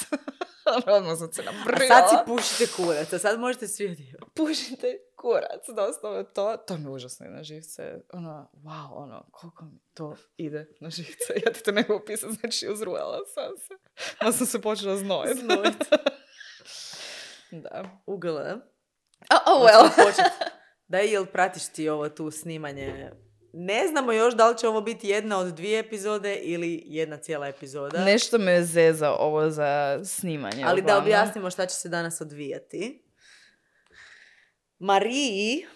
Ono, odmah sam se A nabrila. sad si pušite kurac, a sad možete svi odjevati. Pušite kurac, doslovno to. To mi užasno ide na živce. Ono, wow, ono, koliko mi to ide na živce. Ja ti to ne mogu opisati, znači uzrujala sam se. Ma sam se počela znojiti. Znojit. Da. Ugl. Oh, oh well. Daj, jel pratiš ti ovo tu snimanje? Ne znamo još da li će ovo biti jedna od dvije epizode ili jedna cijela epizoda. Nešto me zeza ovo za snimanje. Ali da uglavnom. objasnimo šta će se danas odvijati. Mariji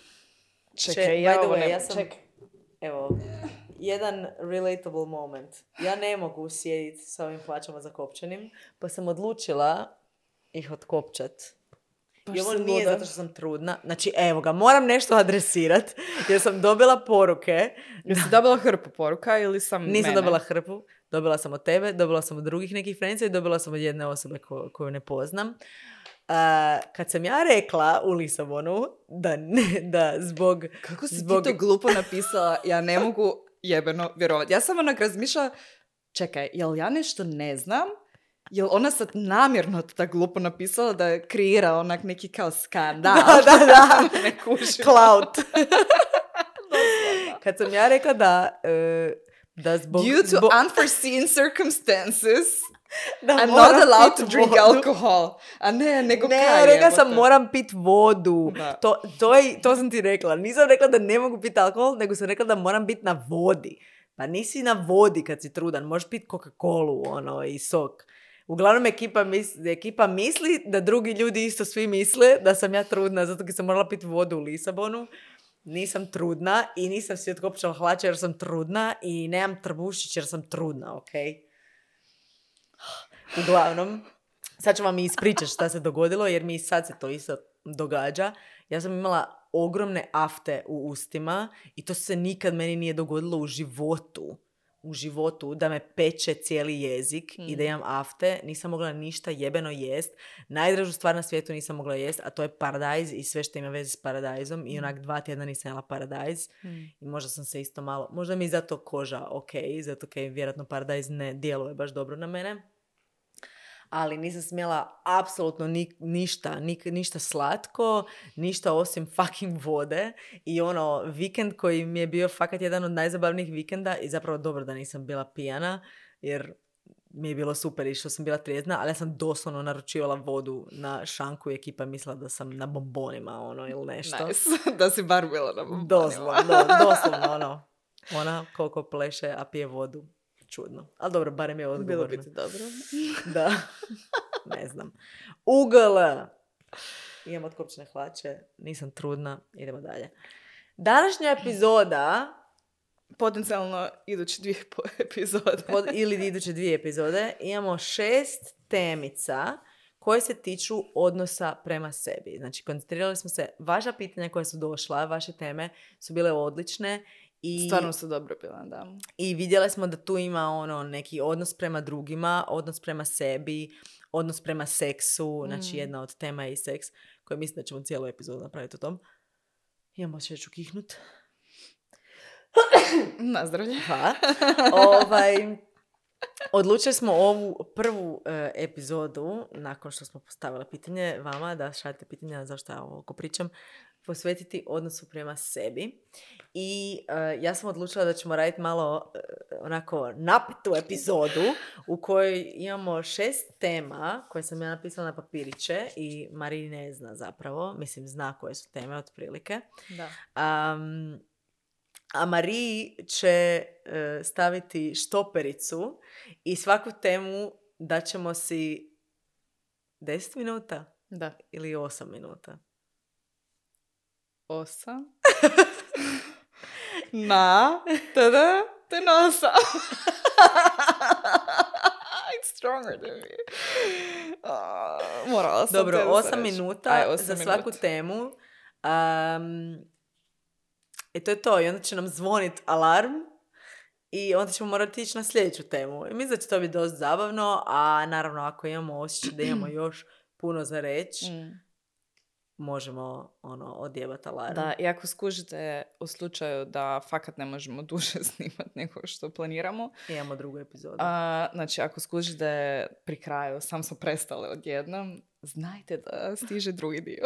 će, Čekaj, by ja the ovo way, ne... ja sam, Čekaj. evo, jedan relatable moment. Ja ne mogu sjediti sa ovim hlačama zakopčanim, pa sam odlučila ih otkopčat. Baš I ovo sam nije luda. zato što sam trudna. Znači, evo ga, moram nešto adresirat, jer sam dobila poruke. Jesi dobila hrpu poruka ili sam Nisam mene? dobila hrpu, dobila sam od tebe, dobila sam od drugih nekih friendsa i dobila sam od jedne osobe ko, koju ne poznam. Uh, kad sam ja rekla u Lisabonu da, ne, da zbog... Kako si zbog... ti to glupo napisala? Ja ne mogu jebeno vjerovati. Ja sam onak razmišljala, čekaj, jel ja nešto ne znam? Jel ona sad namjerno to tako glupo napisala da kreira onak neki kao skandal? Da, da, da. Ne kužim. Clout. Kad sam ja rekla da... Uh, da zbog... Due to zbog, unforeseen circumstances, da I'm moram not allowed pit to drink vodu. alcohol. A ne, nego Ne, kaj rekla sam jebote? moram pit vodu. Da. To, to, je, to sam ti rekla. Nisam rekla da ne mogu piti alkohol, nego sam rekla da moram biti na vodi. Pa nisi na vodi kad si trudan. Možeš piti Coca-Colu ono, i sok. Uglavnom ekipa misli, ekipa misli da drugi ljudi isto svi misle da sam ja trudna zato kad sam morala piti vodu u Lisabonu. Nisam trudna i nisam si otkopčala hlače jer sam trudna i nemam trbušić jer sam trudna, ok? Uglavnom, sad ću vam i ispričati šta se dogodilo jer mi sad se to isto događa. Ja sam imala ogromne afte u ustima i to se nikad meni nije dogodilo u životu. u životu da me peče cijeli jezik Mm. i da imam afte, nisam mogla ništa jebeno jest. Najdražu stvar na svijetu nisam mogla jest, a to je paradajz i sve što ima veze s paradajzom. I onak dva tjedna nisam jela paradajz. Mm. I možda sam se isto malo, možda mi je zato koža ok, zato kaj vjerojatno paradajz ne djeluje baš dobro na mene. Ali nisam smjela apsolutno ni, ništa, ni, ništa slatko, ništa osim fucking vode. I ono, vikend koji mi je bio fakat jedan od najzabavnijih vikenda i zapravo dobro da nisam bila pijana, jer mi je bilo super i što sam bila trijezna, ali ja sam doslovno naručivala vodu na šanku i ekipa je mislila da sam na bombonima, ono, ili nešto. Nice. Da si bar bila na bombonima. Doslovno, do, doslovno, ono. Ona koliko pleše, a pije vodu. Čudno. Ali dobro, barem je odgovorno. Bilo bi ti dobro. Da. Ne znam. Ugl. Imam otkopčene hlače. Nisam trudna. Idemo dalje. Današnja epizoda Potencijalno iduće dvije po- epizode. pod, ili iduće dvije epizode imamo šest temica koje se tiču odnosa prema sebi. Znači, koncentrirali smo se, vaša pitanja koja su došla, vaše teme su bile odlične i, Stvarno su dobro bila, da. i vidjeli smo da tu ima ono neki odnos prema drugima, odnos prema sebi, odnos prema seksu, znači Mm. jedna od tema je i seks, koja mislim da ćemo cijelu epizodu napraviti o tom. Imamo še ću kihnut. Nazdravlje. Ha. ovaj, odlučili smo ovu prvu e, epizodu, nakon što smo postavili pitanje vama, da šaljete pitanja zašto ja ovo pričam, posvetiti odnosu prema sebi. I e, ja sam odlučila da ćemo raditi malo e, onako napetu epizodu u kojoj imamo šest tema koje sam ja napisala na papiriće i Mariji ne zna zapravo, mislim zna koje su teme otprilike. Da. Um, a Mariji će e, staviti štopericu i svaku temu daćemo si deset minuta Da. ili osam minuta. Osam. Na. Tada. Te nosa. It's stronger than me. Uh, morala sam Dobro, te da osam reći. minuta Aj, osam za svaku minuta. temu. Um, I to je to. I onda će nam zvonit alarm i onda ćemo morati ići na sljedeću temu. I mislim da će to biti dosta zabavno, a naravno ako imamo osjećaj da imamo još puno za reći, Mm. možemo ono, odjebati alarm. Da, i ako skužite u slučaju da fakat ne možemo duže snimati nego što planiramo, Imamo drugu epizodu. a, znači ako skužite pri kraju, sam smo prestale odjednom, znajte da stiže drugi dio.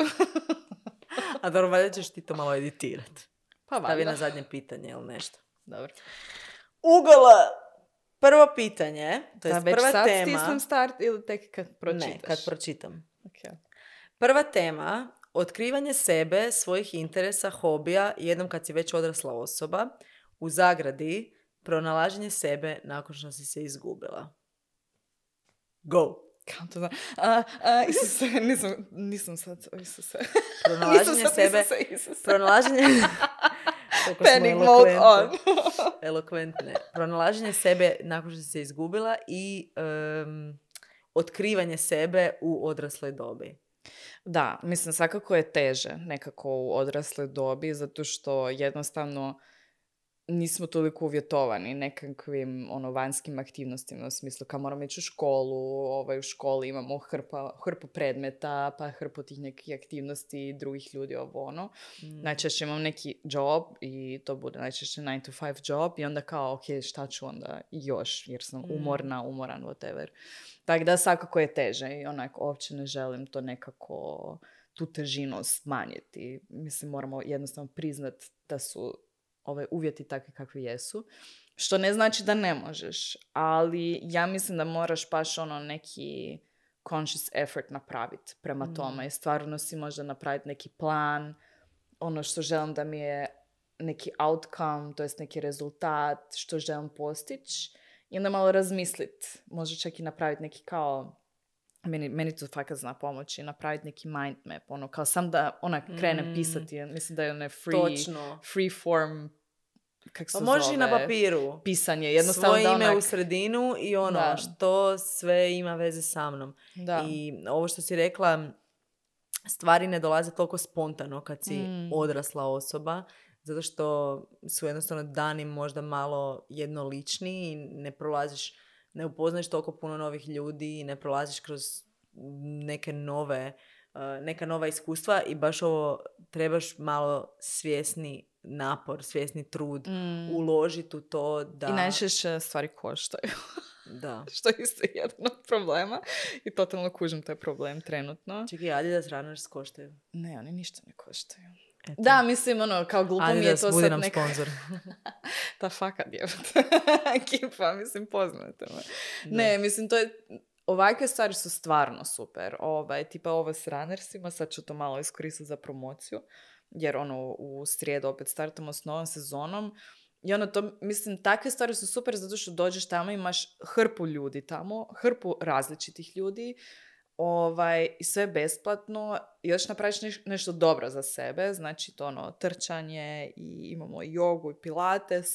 A dobro, valjda ćeš ti to malo editirati. Pa Stavi valjda. na zadnje pitanje ili nešto. Dobro. Ugla! Prvo pitanje, to je Da, već prva sad tema. stisnem start ili tek kad pročitaš? Ne, kad pročitam. Okay. Prva tema, otkrivanje sebe, svojih interesa, hobija, jednom kad si već odrasla osoba, u zagradi, pronalaženje sebe nakon što si se izgubila. Go! Kako to znam? A, a, Isuse, nisam, nisam sad, Isuse. Pronalaženje Nisam sad, sebe, Isuse, Isuse. pronalaženje... Koliko smo Panic mode on. elokventne. Elokventne. Pronalaženje sebe nakon što si se izgubila i um, otkrivanje sebe u odrasloj dobi. Da, mislim, svakako je teže nekako u odrasloj dobi, zato što jednostavno nismo toliko uvjetovani nekakvim ono, vanjskim aktivnostima, u smislu kao moramo ići u školu, ovaj, u školi imamo hrpa, hrpu predmeta, pa hrpu tih nekih aktivnosti drugih ljudi, ovo ono. Mm. Najčešće imam neki job i to bude najčešće nine to five job i onda kao, ok, šta ću onda još, jer sam umorna, umoran, whatever. Tako da svakako je teže i onako uopće ne želim to nekako, tu težinu smanjiti. Mislim, moramo jednostavno priznat da su ove uvjeti takvi kakvi jesu. Što ne znači da ne možeš, ali ja mislim da moraš baš ono neki conscious effort napraviti prema Mm. tome i stvarno si možda napraviti neki plan, ono što želim da mi je neki outcome, to jest neki rezultat, što želim postići i onda malo razmislit, možda čak i napraviti neki kao, meni, meni to fakat zna pomoći, napraviti neki mind map, ono kao sam da ona krenem Mm. pisati, mislim da je onaj free, Točno. free form, kak se Pa možeš zove, i na papiru. pisanje, jednostavno Svoje da ime onak, u sredinu i ono Da. što sve ima veze sa mnom. da. I ovo što si rekla, stvari ne dolaze toliko spontano kad si Mm. odrasla osoba, zato što su jednostavno dani možda malo jednolični i ne prolaziš, ne upoznaš toliko puno novih ljudi i ne prolaziš kroz neke nove, uh, neka nova iskustva i baš ovo trebaš malo svjesni napor, svjesni trud Mm. uložiti u to da... I najčešće stvari koštaju. Da. Što je isto jedan od problema. I totalno kužim taj problem trenutno. Čekaj, Adidas Runners koštaju. Ne, oni ništa ne koštaju. Eto. Da, mislim, ono, kao glupo mi je Adidas, to budi sad nam neka... sponsor. Ta fakat djevota. Ekipa, mislim, poznate me. Ne, mislim, to je... Ovakve stvari su stvarno super. Ovaj, tipa ovo s runnersima, sad ću to malo iskoristiti za promociju, jer ono, u srijedu opet startamo s novom sezonom. I ono, to, mislim, takve stvari su super zato što dođeš tamo, imaš hrpu ljudi tamo, hrpu različitih ljudi, ovaj, i sve besplatno, i još napraviš neš, nešto dobro za sebe, znači to ono, trčanje, i imamo i jogu i pilates,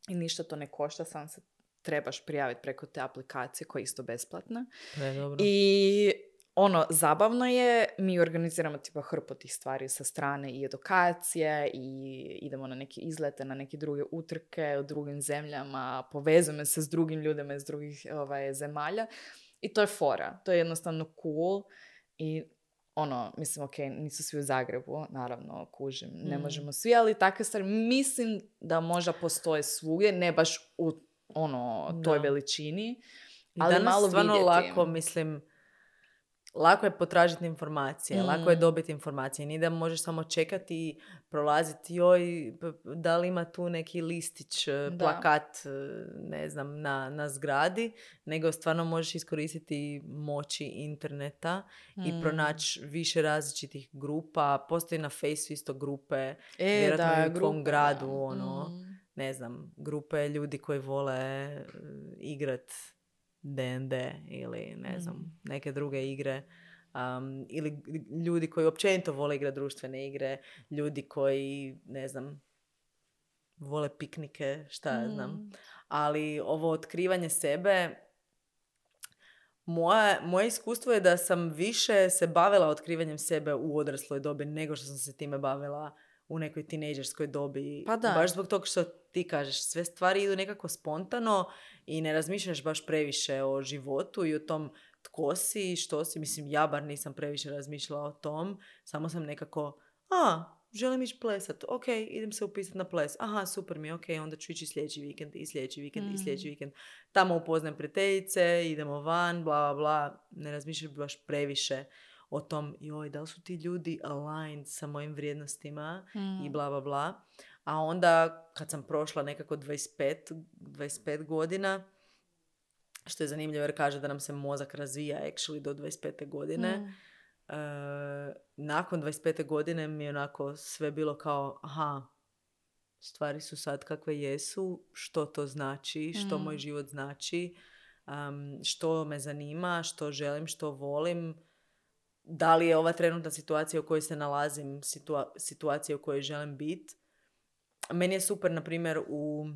i ništa to ne košta, sam se trebaš prijaviti preko te aplikacije koja je isto besplatna. Ne, dobro. I ono, zabavno je, mi organiziramo tipa hrpu tih stvari sa strane i edukacije i idemo na neke izlete, na neke druge utrke u drugim zemljama, povezujemo se s drugim ljudima iz drugih ovaj, zemalja i to je fora, to je jednostavno cool i ono, mislim, ok, nisu svi u Zagrebu, naravno, kužim, ne Mm. možemo svi, ali takve stvari mislim da možda postoje svugdje, ne baš u ono, toj Da. veličini, I ali danas malo stvarno vidjeti. lako, mislim, lako je potražiti informacije, Mm. lako je dobiti informacije. Nije da možeš samo čekati i prolaziti, joj, p- da li ima tu neki listić, Da. plakat, ne znam, na, na zgradi, nego stvarno možeš iskoristiti moći interneta i Mm. pronaći više različitih grupa. Postoji na Fejsu isto grupe, E, vjerojatno da, i u tvom grupe, gradu, da. ono, Mm. ne znam, grupe ljudi koji vole uh, igrat D and D ili ne znam, Mm. neke druge igre. Um, ili ljudi koji općenito vole igrati društvene igre, ljudi koji, ne znam, vole piknike, šta ja znam. Mm. Ali ovo otkrivanje sebe, moje, moje iskustvo je da sam više se bavila otkrivanjem sebe u odrasloj dobi nego što sam se time bavila u nekoj tinejdžerskoj dobi. Pa da. Baš zbog toga što ti kažeš, sve stvari idu nekako spontano i ne razmišljaš baš previše o životu i o tom tko si, što si. Mislim, ja bar nisam previše razmišljala o tom. Samo sam nekako, a, želim ići plesat. Ok, idem se upisati na ples. Aha, super mi je, ok, onda ću ići sljedeći vikend i sljedeći vikend Mm. i sljedeći vikend. Tamo upoznajem prijateljice, idemo van, bla, bla, bla. Ne razmišljaš baš previše o tom, joj, da li su ti ljudi aligned sa mojim vrijednostima Mm. i bla, bla, bla. A onda, kad sam prošla nekako dvadeset pet, dvadeset pet godina, što je zanimljivo jer kaže da nam se mozak razvija actually do dvadeset pete godine. Mm. E, nakon dvadeset pete godine mi je onako sve bilo kao, aha, stvari su sad kakve jesu, što to znači, što Mm. moj život znači, um, što me zanima, što želim, što volim, da li je ova trenutna situacija u kojoj se nalazim situa- situacija u kojoj želim biti. Meni je super, na primjer, u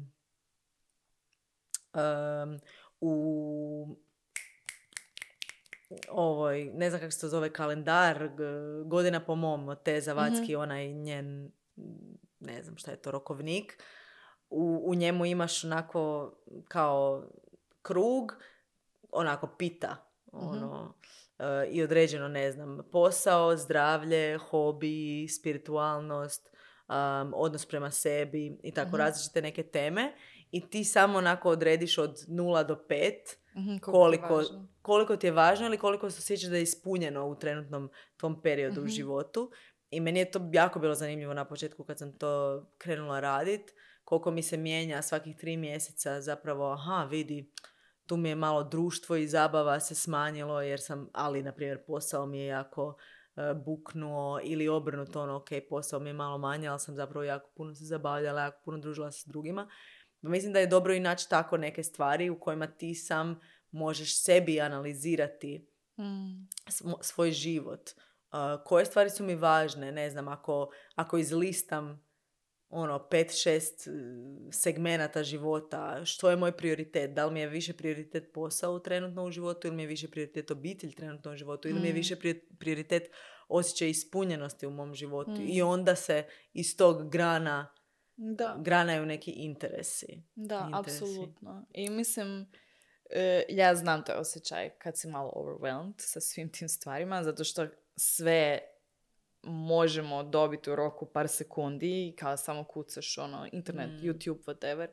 um, u ovoj, ne znam kako se to zove, kalendar, g- godina po mom, od te Zavatski, onaj njen, ne znam šta je to, rokovnik. U, u njemu imaš onako kao krug, onako pita, ono, e, i određeno, ne znam, posao, zdravlje, hobi, spiritualnost, um, odnos prema sebi i tako različite neke teme. I ti samo onako odrediš od nula do pet Mhm, koliko, ti je važno. koliko ti je važno ili koliko se osjećaš da je ispunjeno u trenutnom tom periodu u Mhm. životu. I meni je to jako bilo zanimljivo na početku kad sam to krenula radit. Koliko mi se mijenja svakih tri mjeseca zapravo, aha, vidi, tu mi je malo društvo i zabava se smanjilo jer sam, ali na primjer posao mi je jako e, buknuo ili obrnuto, ono, ok, posao mi je malo manje, ali sam zapravo jako puno se zabavljala, jako puno družila se s drugima. Mislim da je dobro i naći tako neke stvari u kojima ti sam možeš sebi analizirati Mm. smo- svoj život. Uh, koje stvari su mi važne, ne znam, ako, ako izlistam ono, pet, šest uh, segmenata života, što je moj prioritet? Da li mi je više prioritet posao trenutno u životu ili mi je više prioritet obitelj trenutno u životu ili mi je Mm. više pri- prioritet osjećaj ispunjenosti u mom životu. Mm. I onda se iz tog grana Da. granaju neki interesi. Da, interesi. apsolutno. I mislim, e, ja znam taj osjećaj kad si malo overwhelmed sa svim tim stvarima, zato što sve možemo dobiti u roku par sekundi i kao samo kucaš ono, internet, Mm. YouTube, whatever,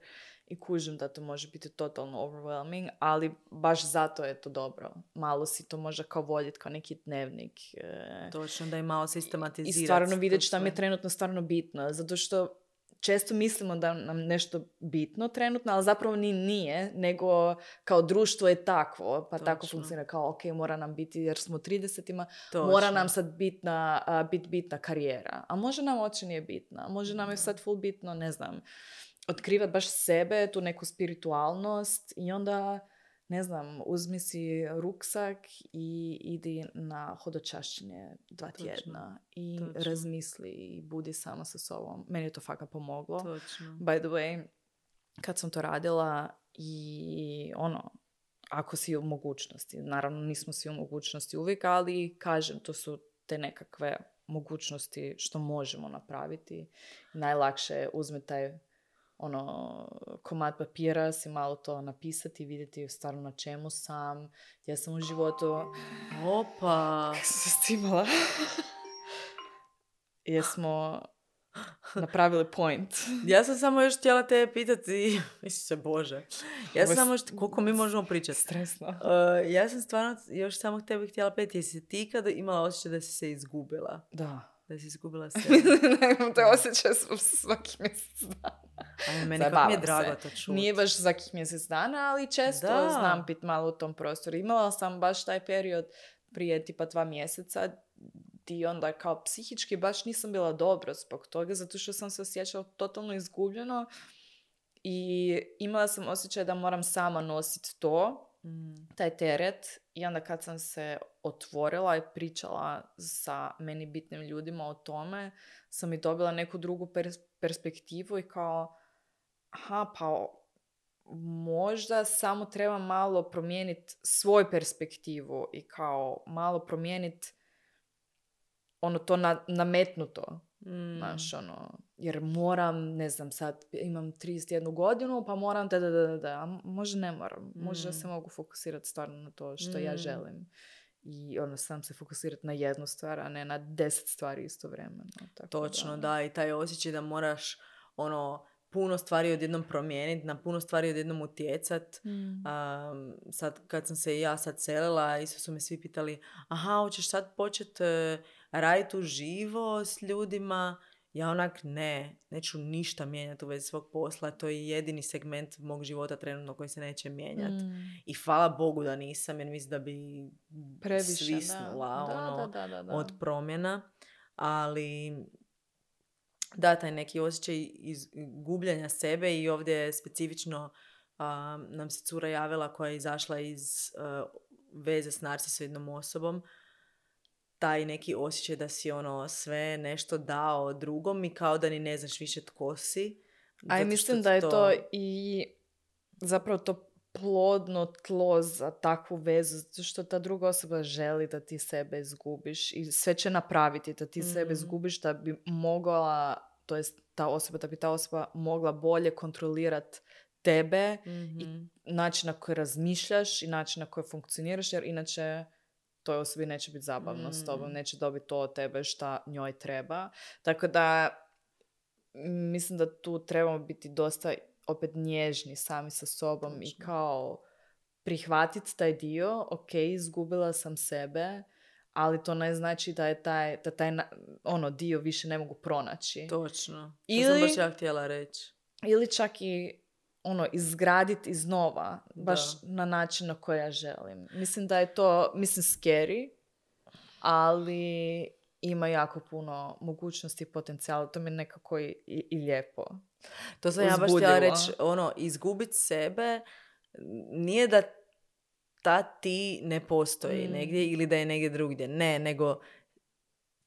i kužim da to može biti totalno overwhelming, ali baš zato je to dobro. Malo si to može kao voditi kao neki dnevnik. E, Točno, da je malo sistematizirati. I stvarno vidjeti to šta mi je sve. trenutno stvarno bitno. Zato što često mislimo da nam nešto bitno trenutno, ali zapravo ni nije, nego kao društvo je takvo, pa tako Točno. funkcionira kao ok, mora nam biti, jer smo u tridesetima, Točno. mora nam sad bitna, a, bit bitna karijera. A može nam uopće nije bitna. Može nam je sad full bitno, ne znam, otkrivati baš sebe, tu neku spiritualnost i onda, ne znam, uzmi si ruksak i idi na hodočašćenje dva Točno. tjedna i Točno. razmisli i budi sama sa sobom. Meni je to fakat pomoglo. Točno. By the way, kad sam to radila i ono, ako si u mogućnosti, naravno nismo svi u mogućnosti uvijek, ali kažem, to su te nekakve mogućnosti što možemo napraviti. Najlakše je uzme taj ono, komad papira, si malo to napisati, vidjeti stvarno na čemu sam, gdje sam u životu. Opa! Kako sam se stimala? Jesmo napravili point. Ja sam samo još htjela te pitati, Isuse Bože, ja Ovo sam je samo, št- koliko mi možemo pričati. Stresno. Uh, ja sam stvarno još samo tebi htjela pitati, jesi ti kada imala osjećaj da si se izgubila? Da. Da si izgubila sebe? Imam te osjećaj svaki mjesec dana. Ajme, meni kako mi je Zabavam drago se. to čuti. Nije baš svakih mjesec dana, ali često Da. znam bit malo u tom prostoru. Imala sam baš taj period prije tipa dva mjeseca i onda kao psihički baš nisam bila dobro zbog toga, zato što sam se osjećala totalno izgubljeno i imala sam osjećaj da moram sama nositi to, Mm. taj teret, i onda kad sam se otvorila i pričala sa meni bitnim ljudima o tome, sam i dobila neku drugu pers- perspektivu i kao, aha, pa možda samo treba malo promijeniti svoju perspektivu i kao malo promijeniti ono to na, nametnuto. Mm. Znaš, ono, jer moram, ne znam, sad imam trideset jednu godinu, pa moram da, da, da, da, da. A možda ne moram. Možda Mm. se mogu fokusirati stvarno na to što Mm. ja želim. I ono, sam se fokusirati na jednu stvar, a ne na deset stvari istovremeno. Tako Točno, da. I taj osjećaj da moraš ono puno stvari odjednom promijeniti, na puno stvari odjednom utjecat. Mm. Um, sad kad sam se i ja sad selila, isto su me svi pitali, aha, hoćeš sad početi uh, raditi uživo s ljudima? Ja onak ne, neću ništa mijenjati u vezi svog posla, to je jedini segment mog života trenutno koji se neće mijenjati. Mm. I hvala Bogu da nisam, jer mislim da bi Previše, svisnula da. ono, Da, da, da, da. od promjena. Ali da, taj neki osjećaj iz gubljenja sebe i ovdje je specifično a, nam se cura javila koja je izašla iz a, veze s narcisoidnom osobom. Taj neki osjećaj da si ono sve nešto dao drugom i kao da ni ne znaš više tko si. A i zato mislim što da je to- to i zapravo to plodno tlo za takvu vezu, zato što ta druga osoba želi da ti sebe izgubiš i sve će napraviti da ti sebe Mhm. izgubiš, da bi mogla, to jest ta osoba, da bi ta osoba mogla bolje kontrolirati tebe Mhm. i način na koji razmišljaš i način na koji funkcioniraš, jer inače toj osobi neće biti zabavno s tobom, Mm. neće dobiti to od tebe šta njoj treba. Tako da m, mislim da tu trebamo biti dosta opet nježni sami sa sobom i Točno. kao prihvatiti taj dio, ok, izgubila sam sebe, ali to ne znači da je taj, da taj na- ono dio više ne mogu pronaći. Točno. To Ili- sam baš ja htjela reći. Ili čak i ono, izgraditi iznova, baš Da. na način na koji ja želim. Mislim da je to, mislim, scary, ali ima jako puno mogućnosti i potencijala. To mi je nekako i, i, i lijepo. To sam ja baš Uzbudljivo. htjela reći, ono, izgubiti sebe nije da ta ti ne postoji Mm. negdje ili da je negdje drugdje. Ne, nego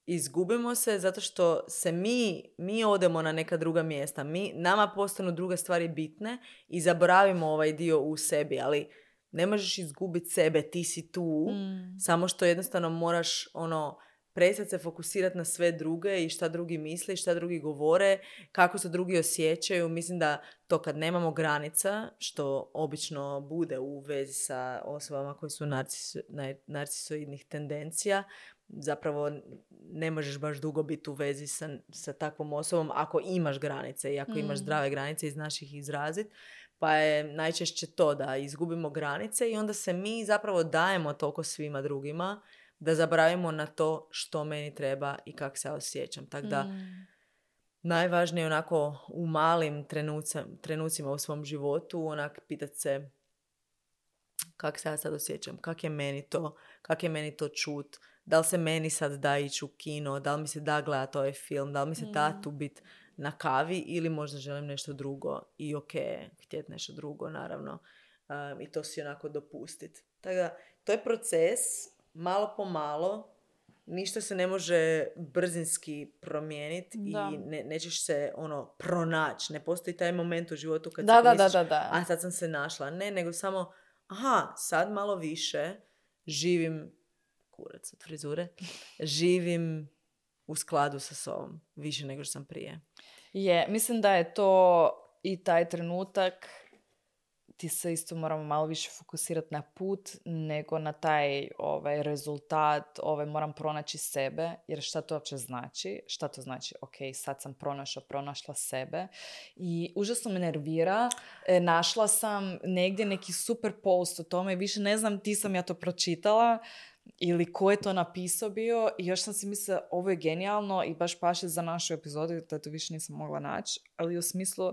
izgubimo se zato što se mi, mi odemo na neka druga mjesta. Mi, nama postanu druge stvari bitne i zaboravimo ovaj dio u sebi, ali ne možeš izgubiti sebe, ti si tu, Mm. samo što jednostavno moraš ono prestati se fokusirati na sve druge i šta drugi misle i šta drugi govore, kako se drugi osjećaju. Mislim da to kad nemamo granica, što obično bude u vezi sa osobama koji su narcis, narcisoidnih tendencija, zapravo ne možeš baš dugo biti u vezi sa, sa takvom osobom ako imaš granice i ako mm. imaš zdrave granice i znaš ih izraziti. Pa je najčešće to da izgubimo granice i onda se mi zapravo dajemo toliko svima drugima da zaboravimo na to što meni treba i kako se ja osjećam. Tako da mm. najvažnije je onako u malim trenucima, trenucima u svom životu onak pitati se kako se ja sad osjećam, kako je meni to, kako je meni to čut, da li se meni sad da ići u kino, da li mi se da gledati ovaj film, da li mi se da tu biti na kavi ili možda želim nešto drugo i ok, htjeti nešto drugo, naravno. Um, I to si onako dopustiti. Tako da, to je proces, malo po malo, ništa se ne može brzinski promijeniti i ne, nećeš se ono pronaći. Ne postoji taj moment u životu kad da, si da, misliš, da, da, da. a sad sam se našla. Ne, nego samo, aha, sad malo više živim, kurac od frizure, živim u skladu sa sobom, više nego što sam prije. Je, mislim da je to i taj trenutak, ti se isto moramo malo više fokusirati na put nego na taj ovaj, rezultat, ovaj, moram pronaći sebe, jer šta to uopće znači? Šta to znači? Ok, sad sam pronašla, pronašla sebe i užasno me nervira. E, našla sam negdje neki super post o tome, više ne znam, ti sam ja to pročitala, ili ko je to napisao bio i još sam si mislila ovo je genijalno i baš paše za našu epizodu, da to više nisam mogla naći, ali u smislu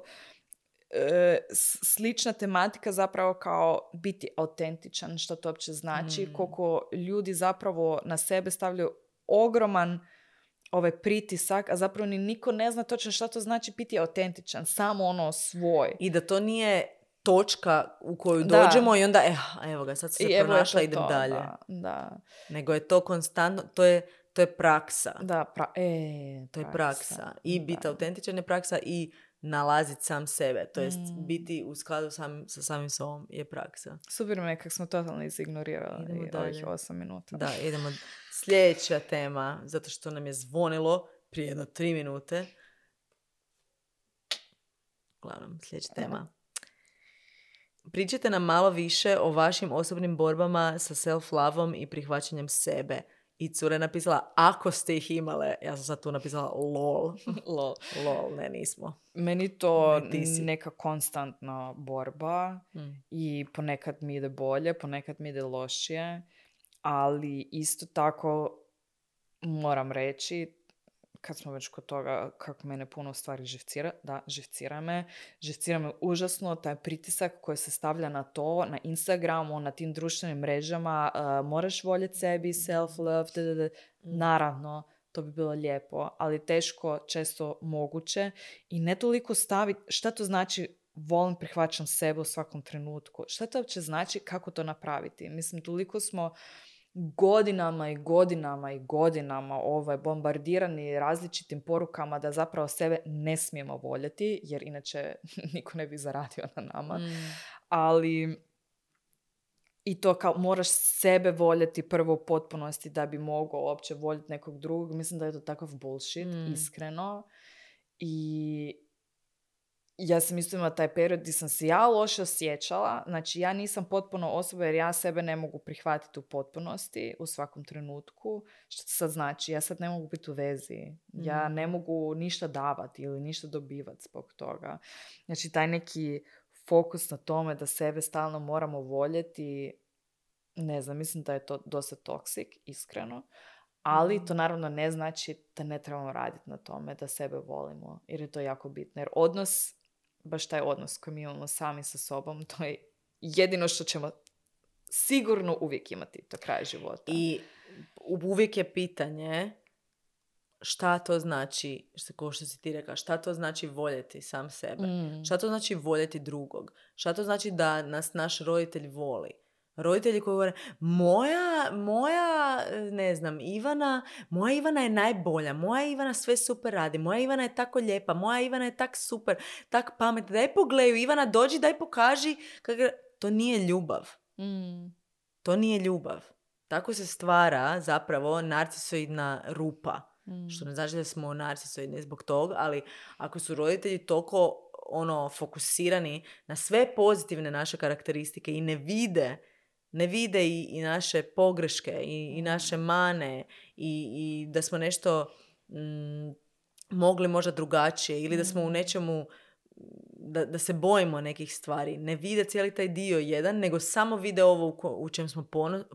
e, slična tematika zapravo kao biti autentičan, što to uopće znači, mm. koliko ljudi zapravo na sebe stavljaju ogroman ovaj pritisak, a zapravo ni niko ne zna točno što to znači biti autentičan, samo ono svoj. I da to nije točka u koju dođemo da. I onda, eh, evo ga, sad se pronašla, idem to, dalje. Da, da. Nego je to konstantno, to je, to je praksa. Da, pra, e, to je praksa. I biti autentičan je praksa i nalaziti sam sebe. To jest mm. biti u skladu sam, sa samim sobom je praksa. Super me, kako smo totalno izignorirali ovih osam minuta. Da, idemo. Sljedeća tema, zato što nam je zvonilo prije jedno tri minute. Uglavnom, sljedeća tema. Pričajte nam malo više o vašim osobnim borbama sa self-lovom i prihvaćanjem sebe. I cura je napisala, ako ste ih imale, ja sam sad tu napisala lol. lol. Lol, ne, nismo. Meni to neka konstantna borba mm. i ponekad mi ide bolje, ponekad mi ide lošije, ali isto tako moram reći, kad smo već kod toga kako mene puno stvari živcira, da, živcira me. Živcira me užasno taj pritisak koji se stavlja na to, na Instagramu, na tim društvenim mrežama, uh, moraš voljeti sebi, self-love, da, da, da. Naravno, to bi bilo lijepo, ali teško, često moguće i ne toliko staviti šta to znači volim, prihvaćam sebe u svakom trenutku. Šta to uopće znači, kako to napraviti? Mislim, toliko smo godinama i godinama i godinama ovaj, bombardirani različitim porukama da zapravo sebe ne smijemo voljeti, jer inače niko ne bi zaradio na nama. Mm. Ali i to kao moraš sebe voljeti prvo u potpunosti da bi mogao uopće voljeti nekog drugog. Mislim da je to takav bullshit, mm. iskreno. I ja sam isto imala taj period gdje sam se ja loše osjećala. Znači, ja nisam potpuno osoba jer ja sebe ne mogu prihvatiti u potpunosti u svakom trenutku. Što to sad znači? Ja sad ne mogu biti u vezi. Ja ne mogu ništa davati ili ništa dobivati zbog toga. Znači, taj neki fokus na tome da sebe stalno moramo voljeti, ne znam, mislim da je to dosta toksik, iskreno. Ali to naravno ne znači da ne trebamo raditi na tome, da sebe volimo. Jer je to jako bitno. Jer odnos, baš taj odnos koji mi imamo sami sa sobom, to je jedino što ćemo sigurno uvijek imati do kraja života. I uvijek je pitanje šta to znači, kao što si ti rekla, šta to znači voljeti sam sebe? Mm. Šta to znači voljeti drugog? Šta to znači da nas naš roditelj voli? Roditelji koji govore, moja, moja, ne znam, Ivana, moja Ivana je najbolja, moja Ivana sve super radi, moja Ivana je tako lijepa, moja Ivana je tak super, tak pametna, daj pogledaju, Ivana dođi, daj pokaži. Kako... To nije ljubav. Mm. To nije ljubav. tako se stvara zapravo narcisoidna rupa. Mm. Što ne znači da smo narcisoidni zbog toga, ali ako su roditelji toliko ono, fokusirani na sve pozitivne naše karakteristike i ne vide, ne vide i, i naše pogreške i, i naše mane i, i da smo nešto mm, mogli možda drugačije ili da smo u nečemu Da, da se bojimo nekih stvari, ne vide cijeli taj dio jedan, nego samo vide ovo u, ko, u čem smo pono,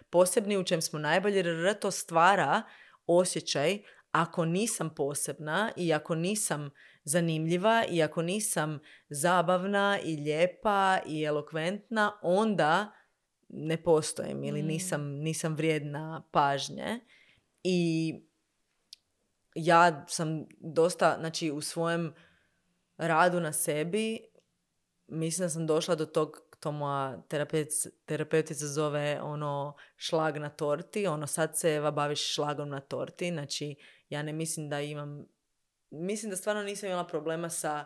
posebni, u čem smo najbolji, jer to stvara osjećaj ako nisam posebna i ako nisam zanimljiva i ako nisam zabavna i lijepa i elokventna, onda ne postojim ili nisam, nisam vrijedna pažnje. I ja sam dosta, znači u svojem radu na sebi, mislim da sam došla do tog, to moja terapeut, terapeutica zove ono šlag na torti, ono sad se Eva baviš šlagom na torti, znači ja ne mislim da imam, mislim da stvarno nisam imala problema sa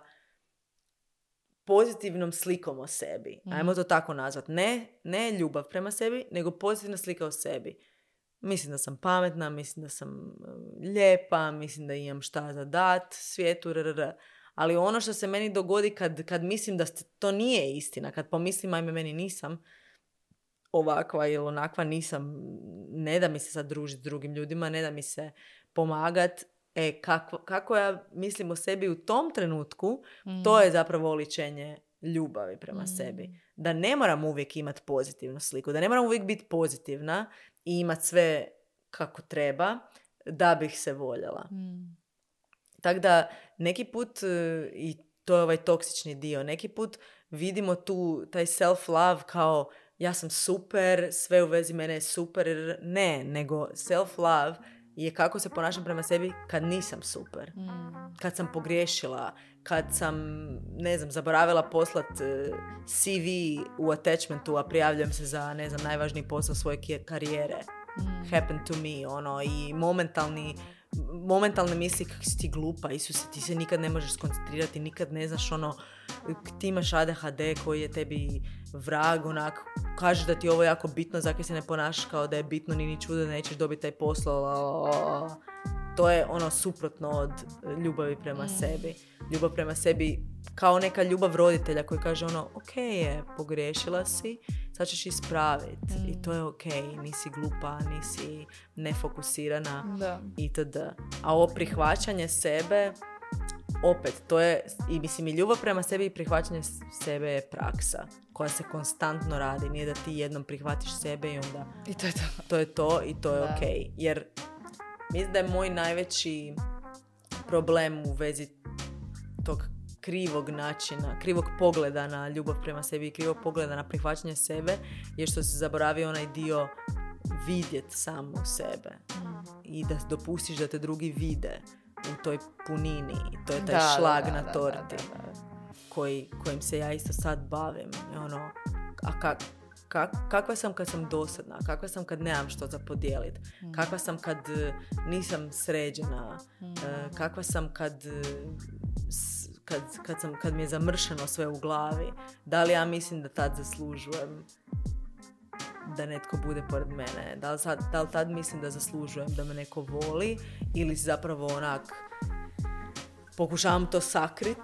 pozitivnom slikom o sebi. Mm. Ajmo to tako nazvat. Ne, ne ljubav prema sebi, nego pozitivna slika o sebi. Mislim da sam pametna, mislim da sam lijepa, mislim da imam šta za dat svijetu, rrr. Ali ono što se meni dogodi kad, kad mislim da to nije istina, kad pomislim, ajme, meni nisam ovakva ili onakva, nisam, ne da mi se sad družiti s drugim ljudima, ne da mi se pomagat, e, kako, kako ja mislim o sebi u tom trenutku, mm. to je zapravo oličenje ljubavi prema mm. sebi. Da ne moram uvijek imati pozitivnu sliku, da ne moram uvijek biti pozitivna i imati sve kako treba da bih se voljela. Mm. Tako da neki put, i to je ovaj toksični dio, neki put vidimo tu taj self-love kao ja sam super, sve u vezi mene je super. Ne, nego self-love je kako se ponašam prema sebi kad nisam super. Mm. Kad sam pogriješila, kad sam, ne znam, zaboravila poslat C V u attachmentu, a prijavljujem se za, ne znam, najvažniji posao svoje karijere. Mm. Happened to me, ono, i momentalni momentalne misli kako si ti glupa, Isuse, ti se nikad ne možeš skoncentrirati, nikad ne znaš, ono, ti imaš A D H D koji je tebi vrag, onak, kažeš da ti je ovo jako bitno, zakaj se ne ponašaš kao da je bitno, ni ni čudo da nećeš dobiti taj posao. To je ono suprotno od ljubavi prema mm. sebi. Ljubav prema sebi kao neka ljubav roditelja koji kaže ono, ok je, pogriješila si, sad ćeš ispraviti mm. i to je ok, nisi glupa, nisi nefokusirana da. itd. A ovo prihvaćanje sebe, opet, to je, i mislim i ljubav prema sebi i prihvaćanje sebe je praksa koja se konstantno radi, nije da ti jednom prihvatiš sebe i onda I to je to. To je to i to je da. ok. Jer mislim da je moj najveći problem u vezi tog krivog načina, krivog pogleda na ljubav prema sebi i krivog pogleda na prihvaćanje sebe je što se zaboravi onaj dio vidjet samo sebe mm. i da dopustiš da te drugi vide u toj punini. To je taj da, šlag da, da, na torti da, da, da. Koji, kojim se ja isto sad bavim. Ono, a kak, kak, kakva sam kad sam dosadna, kakva sam kad nemam što za podijelit, mm. kakva sam kad nisam sređena, mm. kakva sam kad Kad, kad, sam, kad mi je zamršeno sve u glavi, da li ja mislim da tad zaslužujem da netko bude pored mene, da li, sad, da li tad mislim da zaslužujem da me neko voli ili zapravo onak pokušavam to sakrit